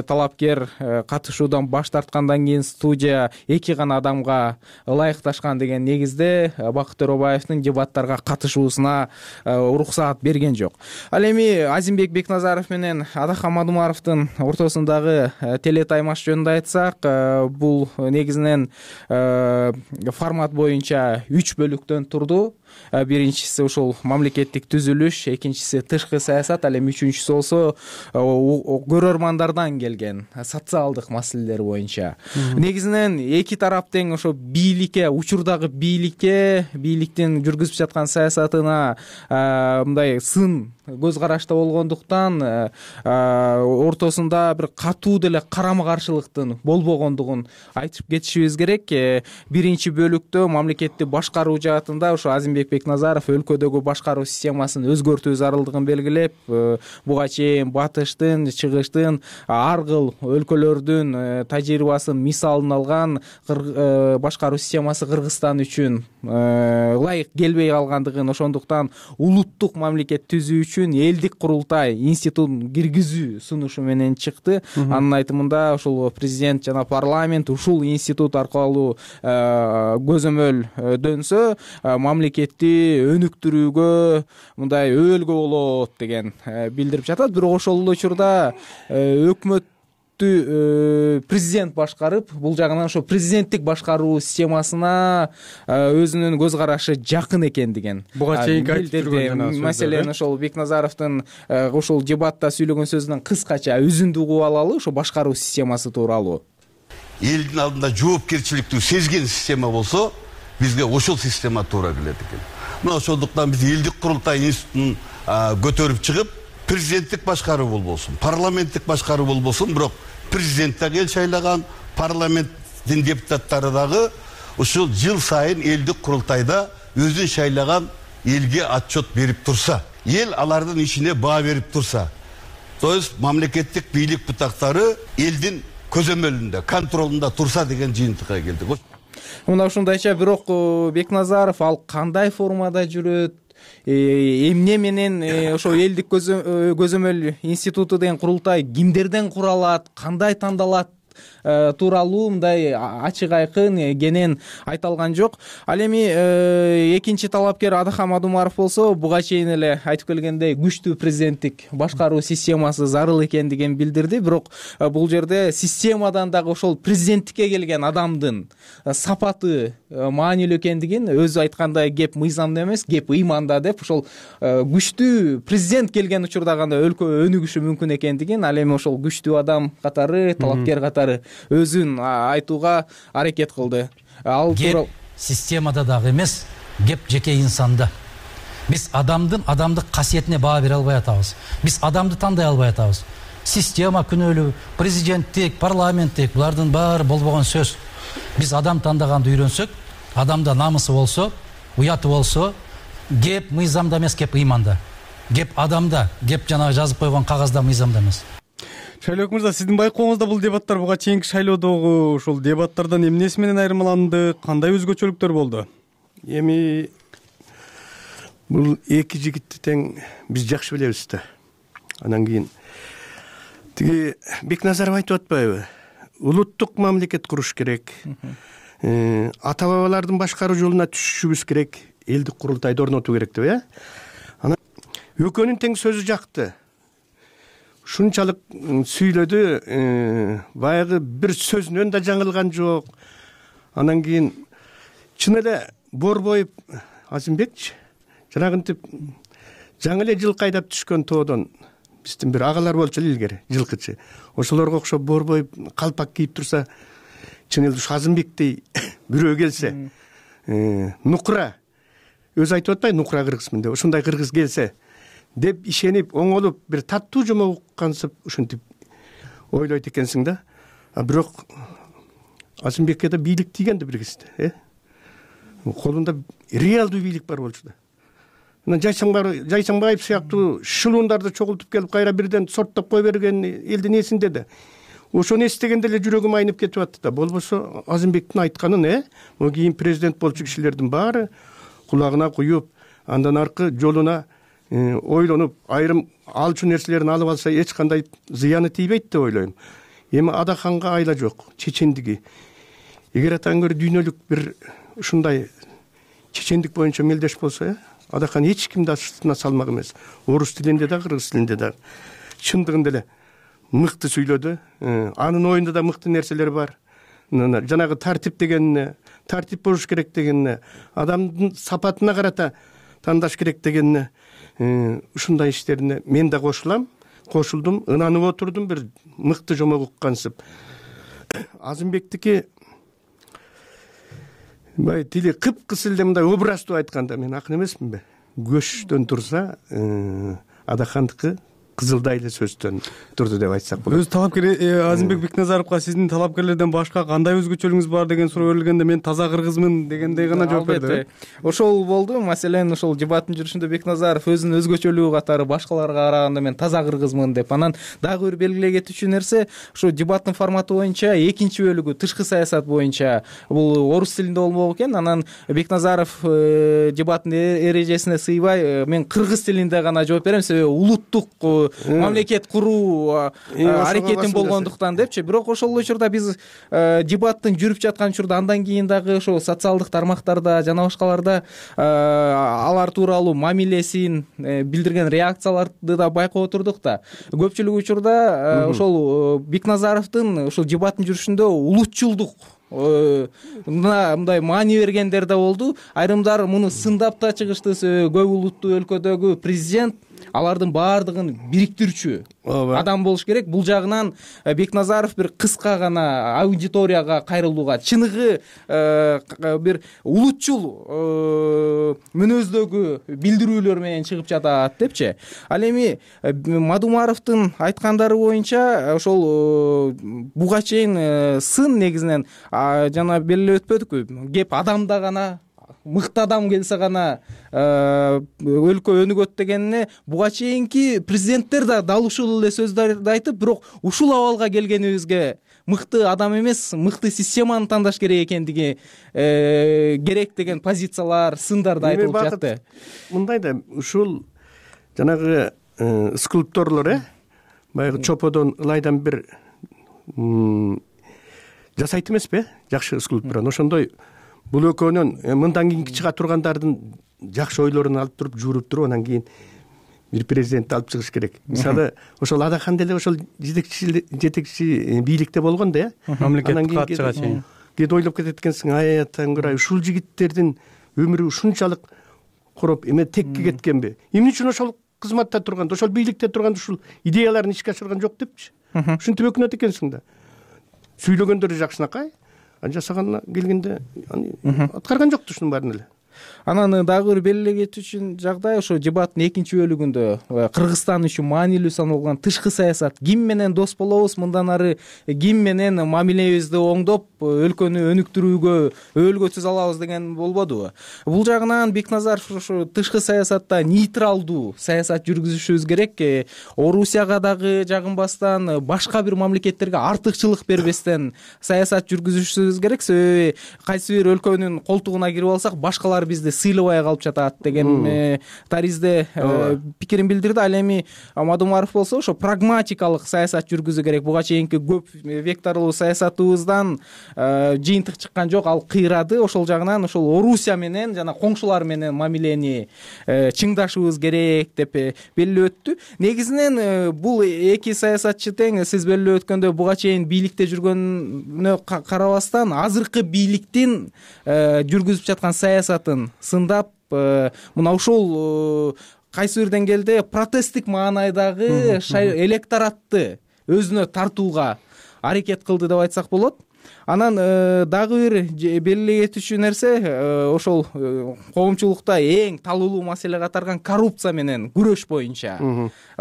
талапкер катышуудан баш тарткандан кийин студия 2 гана адамга ылайыкташкан деген негизде Бакыт Төрөбаевдин дебаттарга катышуусуна уруксаат берген жок. Ал эми Азимбек Бекназаров менен Адахан Мадумаровдун ортосундагы телетаймаш жөнүндө айтсак, бул негизинен формат боюнча 3 бөлүктөн турду. Биринчиси ушул мамлекеттик түзүлүш, экинчиси тышкы саясат, ал эми үчүнчүсү болсо көрөрмандардан келген социалдык маселелер боюнча. Негизинен эки тарап тең ошо бийликке, учурдагы бийликтин жүргүзүп жаткан саясатына мындай сын көз карашта болгондуктан ортосунда бир катуу деле карама каршылыктын болбогондугун айтып кетишибиз керек. Биринчи бөлүктө мамлекетти башкаруу жаатында ошо Азимбек Бекназаров өлкөдөгү башкаруу системасын өзгөртүү зарылдыгын белгилеп, буга чейин батыштын, чыгыштын ар кыл өлкөлөрдүн тажрыйбасын мисалын алган башкаруу системасы Кыргызстан үчүн ылайык келбей калгандыгын, ошондуктан улуттук мамлекет түзүү үчүн элдик курултай институтун киргизүү сунушу менен чыкты. Анын айтымында ушул президент жана парламент ушул институт аркылуу көзөмөл дөнсө мамлекетти өнүктүрүүгө, мындай өөлгө болот деген билдирип жатат. Бирок ошол эле учурда өкмөттү президент башкарып, бул жагынан ошо президенттик башкаруу системасына өзүнүн көз карашы жакын экендигин буга чейинки айтып жүргөн. Маселен, ошол Бекназаровдун ушул дебатта сүйлөгөн сөзүнөн кыскача үзүндү угуп алалы, ошо башкаруу системасы тууралуу. Элдин алдында жоопкерчиликтүү сезген система болсо, бизге ошол система туура келет экен. Мына ошондуктан биз элдик курултай институтун көтөрүп чыгып, президенттик башкаруу болбосун, парламенттик башкаруу болбосун, бирок президент дагы эл шайлаган, парламенттин депутаттары дагы ушул жыл сайын элдик курултайда өзүн шайлаган элге отчет берип турса, эл алардын ишине баа берип турса, то есть мамлекеттик бийлик бутактары элдин көзөмөлүндө, контролунда турса деген жыйынтыкка келдик. Мына ушундайча, бирок Бекназаров ал кандай формада жүрөт, эмне менен ошо элдик көзөмөл институту деген курултай кимдерден куралат, кандай тандалат тууралуу мындай ачык айкын кенен айталган жок. Ал эми экинчи талапкер Адахан Мадумаров болсо буга чейин эле айтып келгендей күчтүү президенттик башкаруу системасы зарыл экендигин билдирди. Бирок бул жерде системадан дагы ошол президенттикке келген адамдын сапаты маанилүү экендигин, өзү айткандай кеп мыйзамда эмес, кеп ыйманда деп, ошол күчтүү президент келген учурда гана өлкө өнүгүшү мүмкүн экендигин, ал эми ошол күчтүү адам катары, талапкер катары өзүн айтууга аракет кылды. Ал кеп системада дагы эмес, кеп жеке инсанда. Биз адамдык касиетине баа бере албай атабыз. Биз адамды тандай албай атабыз. Система күнөөлүү, президенттик, парламенттик, булардын баары болбогон сөз. Биз адам тандаганды үйрөнсөк, адамда намысы болсо, уяты болсо, кеп мыйзамда эмес, кеп ыйманда. Кеп адамда, кеп жанагы жазып койгон кагазда, мыйзамда эмес. Шайлоок мырза, сиздин байкооңузда бул дебаттар буга чейинки шайлоодогу ушул дебаттардан эмнеси менен айырмаланды, кандай өзгөчөлүктөр болду? Эми бул эки жигитти тең биз жакшы билебиз да. Анан кийин тиги Бекназаров айтып атпайбы? Улуттук мамлекет куруш керек. Ата бабалардын башкаруу жолуна түшүшүбүз керек. Элдик курултайды орнотуу керек деп, Анан экөөнүн тең сөзү жакты. Шунчалык сүйлөдү, баягы бир сөзүнөн да жаңылган жок. Анан кийин чын эле Борбоев Азимбекчи жанагынтип жаңы эле жылкы айдап түшкөн тоодон биздин бир агалар болчу эле илгери, жылкычы. Ошолорго окшоп Борбоев калпак кийип турса, чын эле ушу Азимбектей бирөө келсе, нукура, өзү айтып атпайбы, нукура кыргызмын деп, ушундай кыргыз келсе деп ишенип, оңолуп, бир таттуу жомок уккансып, ушинтип ойлойт экенсиң да. Бирок Азимбекке да бийлик тийген да бир кезде, колунда реалдуу бийлик бар болчу да. Анан Жайсаңбаев сыяктуу шылуундарды чогултуп келип, кайра бирден сорттоп кой берген элдин эсинде да. Ошону эстегенде эле жүрөгүм айнып кетип атты да. Болбосо Азимбектин айтканын, могу кийин президент болчу кишилердин баары кулагына куюп, андан аркы жолуна ойлонуп, айрым алчу нерселерин алып алса эч кандай зыяны тийбейт деп ойлойм. Эми Адаханга айла жок, чечендиги. Эгер атаң көрө дүйнөлүк бир ушундай чечендик боюнча мелдеш болсо, Адахан эч кимди астына салмак эмес. Орус тилинде да, кыргыз тилинде да чындыгында эле мыкты сүйлөдү. Анын оюнда да мыкты нерселер бар. Жанагы тартип дегенине, тартип болуш керек дегенине, адамдын сапатына карата тандаш керек дегенине, ушундай иштерине мен да кошулдум, ынанып отурдум, бир мыкты жомок уккансып. Азимбектики бай тили кыпкыс эле мындай образдуу айтканда, мен акын эмесминби? Көчтөн турса, Адахандыкы кызылдай эле сөздөн турду деп айтсак болот. Өз талапкер Азимбек Бекназаровго сиздин талапкерлерден башка кандай өзгөчөлүгүңүз бар деген суроо берилгенде, мен таза кыргызмын дегендей гана жооп берди. Ошол болду. Маселен, ошол дебаттын жүрүшүндө Бекназаров өзүнүн өзгөчөлүгү катары башкаларга караганда мен таза кыргызмын деп, анан дагы бир белгилей кетүүчү нерсе, ошо дебаттын форматы боюнча экинчи бөлүгү тышкы саясат боюнча бул орус тилинде болмок экен. Анан Бекназаров дебаттын эрежесине сыйбай, мен кыргыз тилинде гана жооп берем, себеби улуттук мамлекет куруу аракетин болгондуктан депчи. Бирок ошол учурда биз дебаттын жүрүп жаткан учурда, андан кийин дагы ошол социалдык тармактарда жана башкаларда алар тууралуу мамилесин билдирген реакцияларды да байкап отурдук да. Көпчүлүк учурда ошол Бекназаровдун ошол дебаттын жүрүшүндө улутчулдук мындай маани бергендер да болду. Айрымдар муну сындап да чыгышты, себеби көп улуттуу өлкөдөгү президент алардын баардыгын бириктирүүчү адам болуш керек. Бул жагынан Бекназаров бир кыска гана аудиторияга кайрылууга, чыныгы бир улутчул мүнөздөгү билдирүүлөр менен чыгып жатат депчи. Ал эми Мадумаровдун айткандары боюнча ошол буга чейин сын негизинен жана белгилеп өтпөдүкпү, кеп адамда гана, мыкты адам келсе гана өлкө өнүгөт дегенине буга чейинки президенттер да дал ушул эле сөздөрдү айтып, бирок ушул абалга келгенибизге мыкты адам эмес, мыкты системаны тандаш керек экендиги керек деген позициялар, сындар да айтылып жатты. Мындай да, ушул жанагы скульпторлор баягы чоподон ылайдан бир жасайт эмеспи, жакшы скульптураны. Ошондой бул экөөнүн мындан кийинки чыга тургандардын жакшы ойлорун алып туруп, жууруп туруп, анан кийин бир президентти алып чыгыш керек. Мисалы, ошол Адахан деле ошол жетекчи бийликте болгон да, мамлекеттик катчыга чейин. Кээде ойлоп кетет экенсиң, ай Тангырай, ушул жигиттердин өмүрү ушунчалык короп эме текке кеткенби? Эмне үчүн ошол кызматта турганда, ошол бийликте турганда ушул идеяларын ишке ашырган жок депчи. Ушинтип өкүнөт экенсиң да. Сүйлөгөндөрү жакшынакай, жасаганына келгенде аткарган жокту ушунун баарын эле. Анан дагы бир белгилей кетүүчү жагдай ошо дебаттын экинчи бөлүгүндө Кыргызстан үчүн маанилүү саналган тышкы саясат, ким менен дос болобуз, мындан ары ким менен мамилебизди оңдоп өлкөнү өнүктүрүүгө өөлгөсүз алабыз деген болбодубу? Бул жагынан Бекназаров ошо тышкы саясатта нейтралдуу саясат жүргүзүшүбүз керек, Орусияга дагы жагынбастан, башка бир мамлекеттерге артыкчылык бербестен саясат жүргүзүшүбүз керек. Себеби кайсы бир өлкөнүн колтугуна кирип алсак, башкалар бизди сыйлабай калып жатат деген таризде пикирин билдирди. Ал эми Мадумаров болсо ошо прагматикалык саясат жүргүзүү керек. Буга чейинки көп векторлуу саясатыбыздан жыйынтык чыккан жок, ал кыйрады. Ошол жагынан ошол Орусия менен жана коңшулар менен мамилени чыңдашыбыз керек деп белгилеп өттү. Негизинен бул эки саясатчы тең сиз белгилеп өткөндөй буга чейин бийликте жүргөнүнө карабастан азыркы бийликтин жүргүзүп жаткан саясатын сындап, мына ушул кайсы бир деңгээлде протесттик маанайдагы электоратты өзүнө тартууга аракет кылды деп айтсак болот. Анан дагы бир белгилей кетүүчү нерсе ошол коомчулукта эң талуулуу маселе катарган коррупция менен күрөш боюнча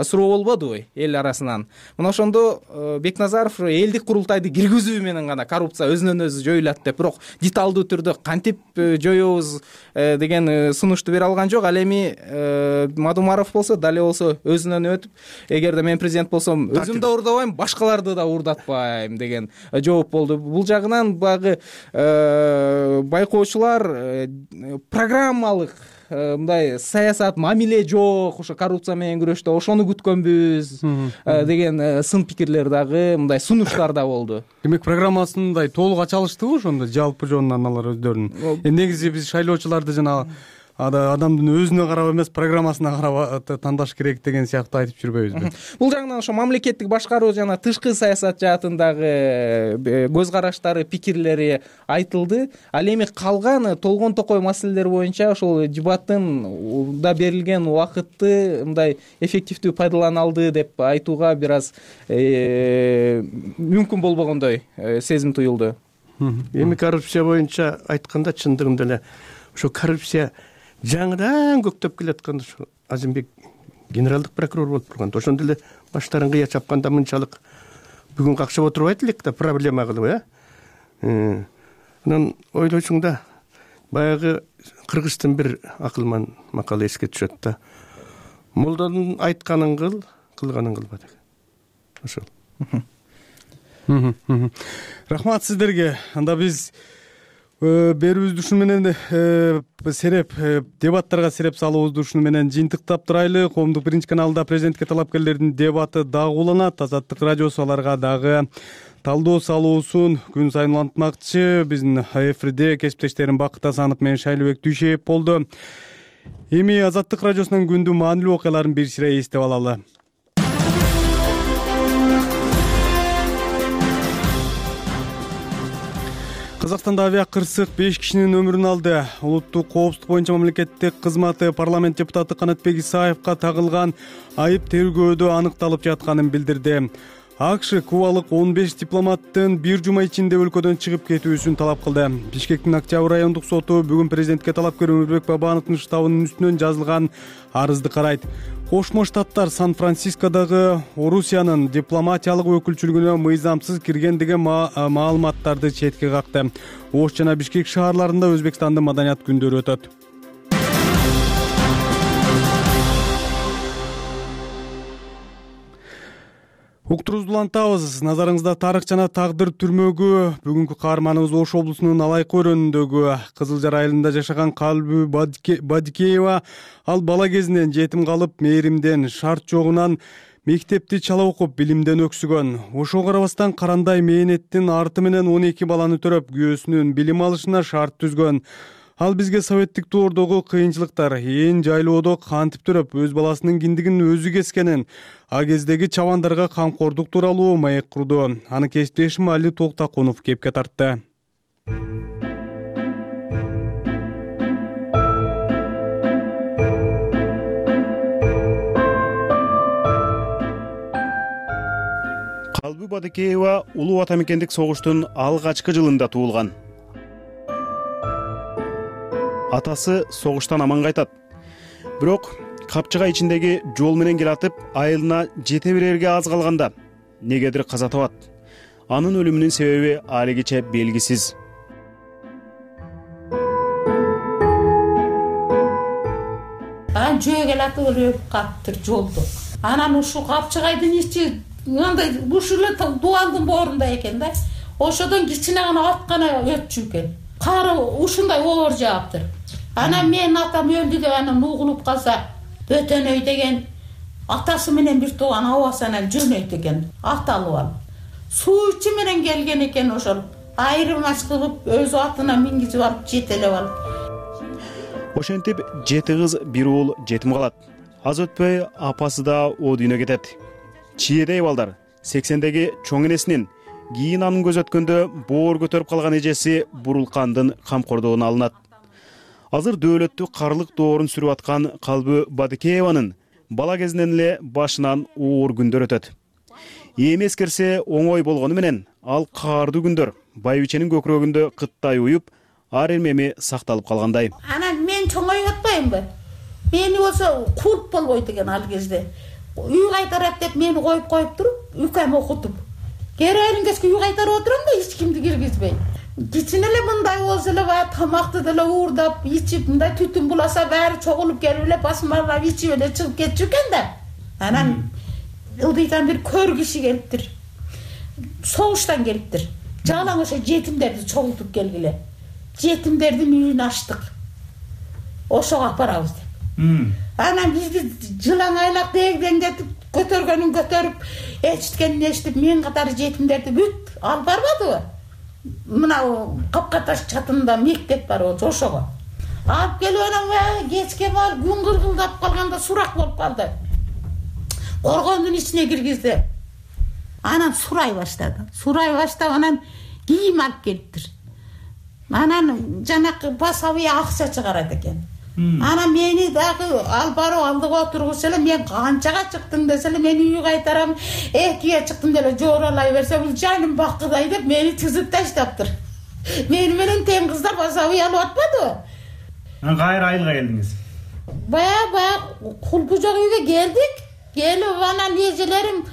суроо болбодубу эл арасынан. Мына ошондо Бекназаров элдик курултайды киргизүү менен гана коррупция өзүнөн өзү жоюлат деп, бирок деталдуу түрдө кантип жоебуз деген сунушту бере алган жок. Ал эми Мадумаров болсо дале болсо өзүнөн өтүп, эгерде мен президент болсом өзүм да уурдабайм, башкаларды да уурдатпайм деген жооп болду. Бул жагынан багы байкоочулар программалык мындай саясат, мамиле жок, ошо коррупция менен күрөштө ошону күткөнбүз деген сын пикирлер дагы, мындай сунуштар да болду. Демек программасындай толук ача алыштыбы ошондо жалпы жонунан алар өздөрүнүн? Негизи биз шайлоочуларды жана адамдын өзүнө карап эмес, программасына карап тандаш керек деген сыяктуу айтып жүрбөйбүзбү? Бул жагынан ошо мамлекеттик башкаруу жана тышкы саясат жаатындагы көз караштары, пикирлери айтылды. Ал эми калган толгон токой маселелер боюнча ошол дебаттын да берилген убакытты мындай эффективдүү пайдалана алды деп айтууга бир аз мүмкүн болбогондой сезим туюлду. Эми коррупция боюнча айтканда чындыгында эле ошо коррупция жаңыдан көктөп келатканда ушу Азимбек генералдык прокурор болуп турганда ошондо эле баштарын кыя чапканда мынчалык бүгүн какшап отурбайт элек да проблема кылып, Анан ойлойсуң да, баягы Кыргыздын бир акылман макалы эске түшөт да. Молдонун айтканын кыл, кылганын кылба деген. Ошол. Рахмат сиздерге. Анда биз берүүбүздү ушуну менен сереп дебаттарга сереп салуубузду ушуну менен жыйынтыктап турайлы. Коомдук биринчи каналда президентке талапкерлердин дебаты дагы уланат. Азаттык радиосу аларга дагы талдоо салуусун күн сайын улантмакчы. Биздин эфирде кесиптештерим Бакыт Асанов менен Шайлообек Дүйшеев болду. Эми Азаттык радиосунун күндү маанилүү окуяларын бир сирей эстеп алалы. Казакстанда авиакырсык 5 кишинин өмүрүн алды. Улуттук коопсуздук боюнча мамлекеттик кызматы парламент депутаты Канатбек Исаевка тагылган айып тергөөдө аныкталып жатканын билдирди. АКШ кубалык 15 дипломаттын бир жума ичинде өлкөдөн чыгып кетүүсүн талап кылды. Бишкектин Октябрь райондук соту бүгүн президентке талапкер Өмүрбек Бабановдун штабынын үстүнөн жазылган арызды карайт. Кошмо Штаттар Сан-Францискодогу Орусиянын дипломатиялык өкүлчүлүгүнө мыйзамсыз кирген деген маалыматтарды четке какты. Ош жана Бишкек шаарларында Өзбекстандын маданият күндөрү өтөт. Уктурубузду улантабыз. Назарыңызда тарых жана тагдыр түрмөгү. Бүгүнкү каарманыбыз Ош облусунун Алайкы өрөөнүндөгү Кызыл Жар айылында жашаган Калбү Бадикеева. Ал бала кезинен жетим калып, мээримден, шарт жогунан Мектепти чала окуп билимден өксүгөн. Ошого карабастан карандай мээнеттин арты менен 12 баланы төрөп, күйөөсүнүн билим алышына шарт түзгөн. Ал бизге советтик доордогу кыйынчылыктар, ээн жайлоодо кантип төрөп, өз баласынын киндигин өзү кескенин, а кездеги чабандарга камкордук тууралуу маек курду. Аны кесиптешим Али Токтакунов кепке тартты. Калбы Бадыкеева Улуу Ата мекендик согуштун алгачкы жылында туулган. Атасы согуштан аман кайтат. Бирок капчыга ичиндеги жол менен келатып, айылына жете берерге аз калганда негедир каза табат. Анын өлүмүнүн себеби алигиче белгисиз. Жөө келатып өлүп калыптыр жолдо. Анан ушул капчыгайдын ичи мындай ушул дуалдын боорунда экен да. Ошодон кичине гана аткана өтчү экен. Кары ушундай оор жааптыр. Анан менин атам өлдү деп анан угулуп калса, Бөтөнөй деген атасы менен бир тууган абасынан жөнөйт экен, аталып алып. Суу ичи менен келген экен ошол. Айрылмаш кылып, өз атына мингизип алып, жетелеп алып. Ошентип, 7 кыз, 1 уул жетим калат. Аз өтпөй апасы да о дүйнө кетет. Чиедей балдар 80-деги чоң энесинин кийин анын көз өткөндө боор көтөрүп калган эжеси Бурулкандын камкордугуна алынат. Азыр дөөлөттү карлык доорун сүрүп аткан Калбы Бадыкееванын бала кезинен эле башынан оор күндөр өтөт. Эми эскерсе оңой болгону менен ал каардуу күндөр байбиченин көкүрөгүндө кыттай уюп, ар эмеми сакталып калгандай. Анан мен чоңоюп атпаймынбы? Мени болсо кулп болбойт экен ал кезде. Үй кайтарат деп мени коюп туруп, үкөм окутуп. Керерин кеске үй кайтарып отурам да, эч кимди киргизбей. Кичине эле мындай болсо эле баягы тамакты деле уурдап, ичип, мындай түтүн буласа баары чогулуп келип эле басмарлап ичип эле чыгып кетчү экен да. Анан ылдыйдан бир көр киши келиптир. Согуштан келиптир. Жалаң ошо жетимдерди чогултуп келгиле. Жетимдердин үйүн ачтык. Ошого апарабыз деп. Анан бизди жылаңайлап дегдеңдетип, көтөргөнүн көтөрүп, эчиткенин эчитип, мен катары жетимдерди бүт алып барбадыбы? Мына Капкаташ чатында мектеп бар ошого. Алып келип анан кечке бар күн кыргылдап калганда сурак болуп калды. Коргондун ичине киргизди. Анан сурай баштап анан кийим алып келиптир. Анан жанакы басабый акча чыгарат экен. Анан мени дагы ал барып алдыга отургузса эле, мен канчага чыктың десе эле, мен үй кайтарам, 2ге чыктым деле жооралай берсе, бул жаным бакыдай деп мени тизип таштаптыр. Мени менен тең кыздар басабый алып атпадыбы? Кайра айылга келдиңиз? Бая кулпу жок үйгө келдик. Келип анан эжелерим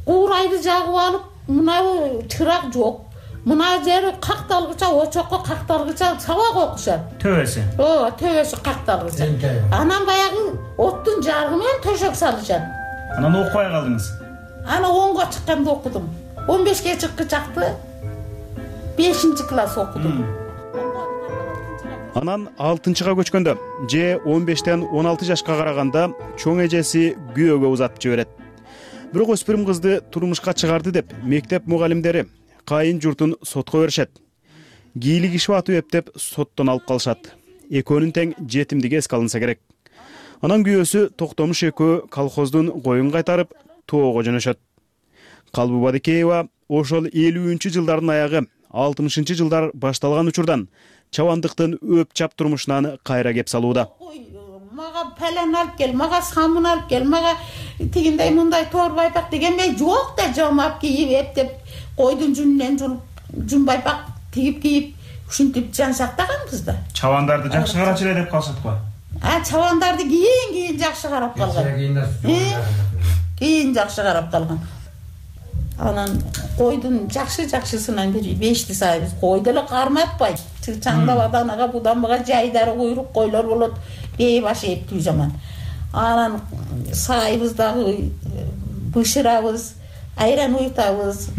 куурайды жагып алып, мына чырак жок. Мына жери какталгыча, очокко какталгыча сабак окушат. Төбөсү. Төбөсү какталгыча. Анан баягы оттун жарыгы менен төшөк салышат. Анан окубай калдыңыз? Ана 10га чыкканда окудум. 15ге чыккычакты 5-класс окудум. Анан 6-га көчкөндө, же 15тен 16 жашка караганда чоң эжеси күйөөгө узатып жиберет. Бирок өспүрүм кызды турмушка чыгарды деп мектеп мугалимдери кайын журтун сотко беришет. Кийлик иши атып эптеп соттон алып калышат. Экөөнүн тең жетимдиги эске алынса керек. Анан күйөөсү Токтомуш экөө колхоздун коюн кайтарып, тоого жөнөшөт. Калбы Бадыкеева ошол 50-жылдардын аягы, 60-жылдар башталган учурдан чабандыктын өп чап турмушунан кайра кеп салууда. Мага пелен алып кел, мага самын алып кел, мага тигиндей мындай тоор байпак дегенмей жок да, жамап кийип эптеп, койдун жүнүнөн жүн байпак кийип, ушинтип жан сактаганбыз да. Чабандарды жакшы карачу эле деп калышат го. Чабандарды кийин жакшы карап калган. Кийин жакшы карап калган. Анан койдун жакшысынан бир 5 сайбыз. Кой деле карматпайт. Чаңдап аданага буданбага жайдары куйрук койлор болот. Бей баш эптүү жаман. Анан сайбыздагы бышырабыз, айран уйтабыз,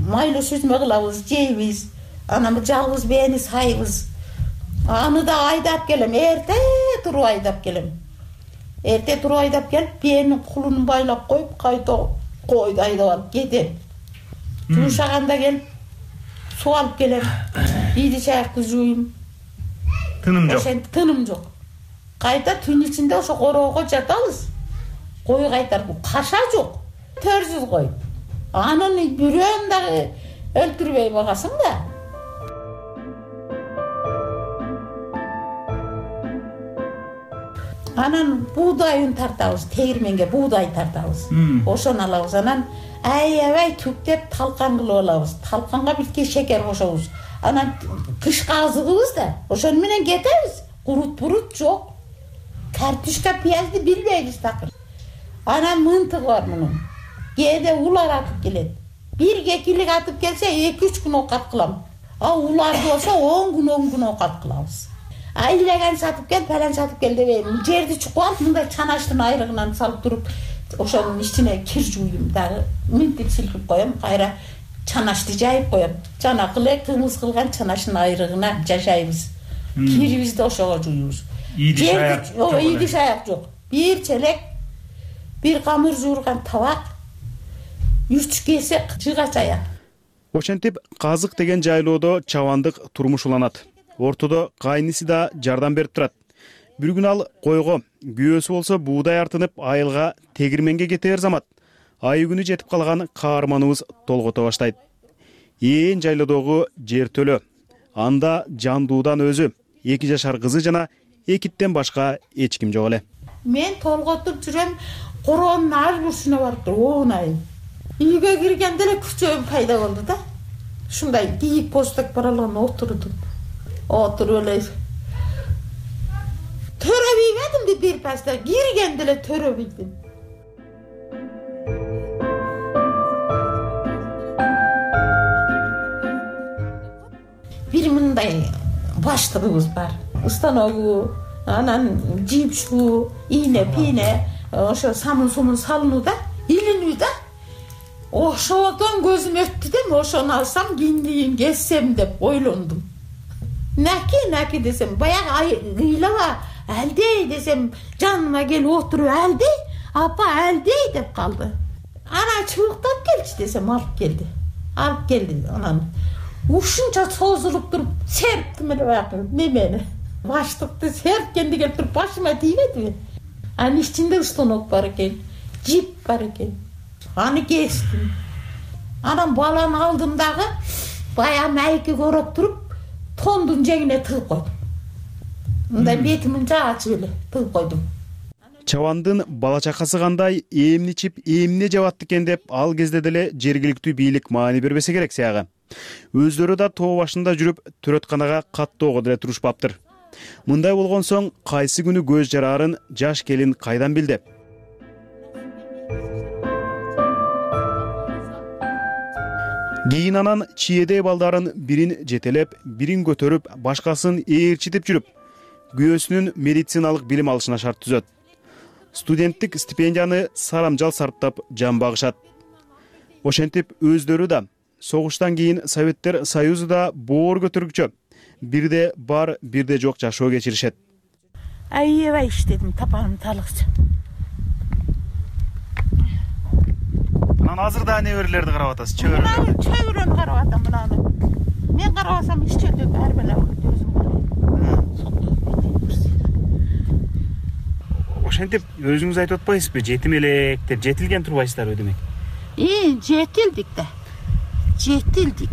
майлуу сүзмө кылабыз, жейбиз. Анан жалгыз бени сайбыз. Аны да айдап келем, эрте туруп айдап келем. эрте туруп айдап келип биенин кулунун байлап коюп кайта койду айдап алып кетем. Жуушаганда келип суу алып келем, ийди чаякты жууйм. Тыным жок. Ошентип тыным жок. Кайта түн ичинде ошо короого жатабыз. Кой кайтарып, каша жок. Төрсүз кой. Анын бирөөн дагы өлтүрбөй багасың да. Анан буудайын тартабыз, тегирменге буудай тартабыз. Ошону алабыз. Анан аябай түктеп талкан кылып алабыз. Талканга бирке шекер кошобуз. Анан кышка азыгыбыз да. Ошону менен кетебиз. Курут жок. Картошка, пиязды билбейбиз такыр. Анан мынтыгы бар мунун. Кээде улар атып келет. Бир кекилик атып келсе 2-3 күн окат кылам. А уларды болсо 10 күн окат кылабыз. Айлеген сатып кел, палан сатып кел дебейм. Жерди чукуп алып, мындай чанаштын айрыгынан салып туруп, ошонун ичине кир жууйм дагы. Минтип силкип коем, кайра чанашты жайып коем. Жанакы эле кымыз кылган чанаштын айрыгына жашайбыз. Кирибизди ошого жууйбуз. Ийди шаяк жок. Ийди шаяк жок. Бир челек, бир камыр жуурган табак, 3 кесе жыга чаяк. Ошентип Казык деген жайлоодо чабандык турмуш уланат. Ортодо кайниси да жардам берип турат. Бир күн ал койго, күйөөсү болсо буудай артынып айылга тегирменге кетер замат. Ай күнү жетип калган каарманыбыз толгото баштайт. Ээн жайлоодогу жер төлө. Анда жандуудан өзү, 2 жашар кызы жана экиттен башка эч ким жок эле. Мен толготуп жүрөм, короонун ар бурчуна барып туруп оонайм. Үйгө киргенде эле күчөм пайда болду да. Ушундай кийик посток баралган отурдум. Отуруп эле төрөбөйбөдүм бир паста, киргенде эле төрөбөйдүм. Бир мындай баштыгыбыз бар. Станогу, анан жипшу, ийне, пийне, ошо самын-сумун салынуу да, илинүү да. Ошодон көзүм өттү да, ошону алсам киндигин кессем деп ойлондум. Наки десем, баягы ыйлаба, Әлдей десем, жаныма келип отуруп, Әлдей, апа Әлдей деп калды. Ана чыбыктап келчи десем, алып келди. Анан ушунча созулуп туруп, серптим эле баягы немени. Баштыкты серткенди келип туруп, башыма тийбедиби? Анын ичинде станок бар экен, жип бар экен. Аны кестим. Анан баланы алдым дагы, баягы майки короп туруп, тондун жеңине тыгып койдум. Мындай бетимин ачып эле тыгып койдум. Чабандын бала чакасы кандай, эмне ичип, эмне жабат экен деп ал кезде деле жергиликтүү бийлик маани бербесе керек сяга. Өздөрү да тоо башында жүрүп, төрөтканага каттоого деле турушпаптыр. Мындай болгон соң кайсы күнү көз жараарын жаш келин кайдан билди? Кийин анан чиедей балдарын бирин жетелеп, бирин көтөрүп, башкасын ээрчитип жүрүп, күйөөсүнүн медициналык билим алышына шарт түзөт. Студенттик стипендияны сарамжал сарптап жан багышат. Ошентип өздөрү да согуштан кийин Советтер Союзу да боор көтөргүчө, бирде бар, бирде жок жашоо кечиришет. Аябай иштедим, тапаным талыкчы. Анан азыр да неберелерди карап атасыз, чөбөрөлөрдү? Чөбөрөнү карап атам мынаны. Мен карабасам иш чөтөп ар бала өзүм карайм. Ошентип өзүңүз айтып атпайсызбы, жетим элек деп жетилген турбайсыздарбы демек? Жетилдик да. Жетилдик.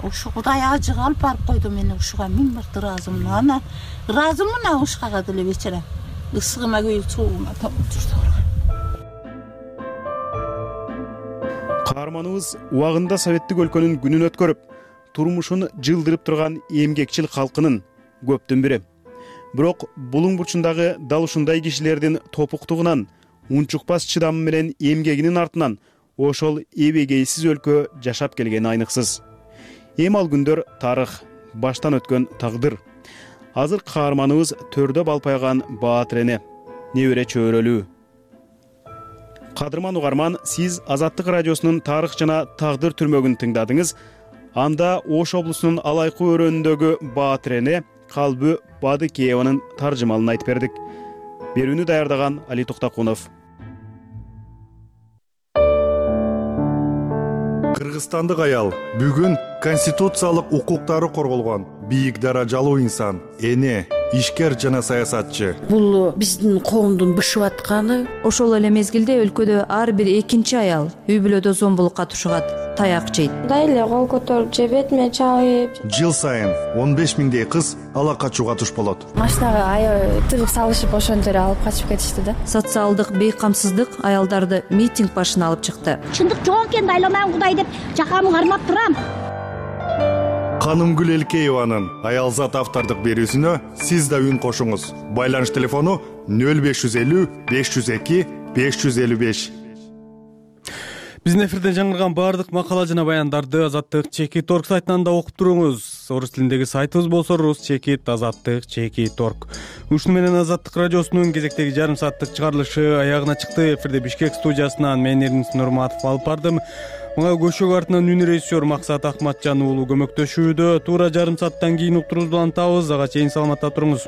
Ушу Кудай ажык алып барып койду мени ушуга, миң мыкты ыраазымын. Ана ыраазымын ушкага деле бечара. Ысыгыма күйүп суугума топ жүрдү. Каарманыбыз убагында советтик өлкөнүн күнүн өткөрүп, турмушун жылдырып турган эмгекчил калкынын көптүн бири. Бирок булуң бурчундагы дал ушундай кишилердин топуктугунан, унчукпас чыдамы менен эмгегинин артынан ошол эбегейсиз өлкө жашап келгени айныксыз. Эми ал күндөр тарых, баштан өткөн тагдыр. Азыр каарманыбыз төрдө балпайган Баатирене, небере чөйрөлүү. Кадырман угарман, сиз Азаттык радиосунун тарых жана тагдыр түрмөгүн тыңдадыңыз. Анда Ош облусунун Алайкы өрөөнүндөгү Баатирене Калбы Бадыкееванын таржымалын айтып бердик. берүүнү даярдаган Али Токтакунов. Кыргызстандык аял бүгүн конституциялык укуктары корголгон бийик даражалуу инсан, эне, ишкер жана саясатчы. Бул биздин коомдун бышып атканы. Ошол эле мезгилде өлкөдө ар бир экинчи аял үй бүлөдө зомбулукка тушугат, таяк жейт. Мындай эле кол көтөрүп же бетиме чабып. Жыл сайын 15 миңдей кыз ала качууга туш болот. Машинага тыгып салышып ошентип эле алып качып кетишти да. Социалдык бейкамсыздык аялдарды митинг башына алып чыкты. Чындык жок экенин айламан Кудай деп жакамы кармап турам. Канымгүл Элкееванын аялзат автордук берүүсүнө сиз да үн кошуңуз. Байланыш телефону 0550 502 555. Биздин эфирден жаңырган баардык макала жана баяндарды Азаттык Чекит Орг сайтынан да окуп туруңуз. Орус тилиндеги сайтыбыз болсо Рус Чекит Азаттык Чекит Орг. Ушуну менен Азаттык радиосунун кезектеги жарым сааттык чыгарылышы аягына чыкты. Эфирде Бишкек студиясынан мен Эрнис Нурматов алып бардым. Мага көшөк артынан үн режиссер Максат Акматжан уулу көмөктөшүүдө. Туура жарым сааттан кийин уктуруубузду улантабыз. Ага чейин саламатта туруңуз.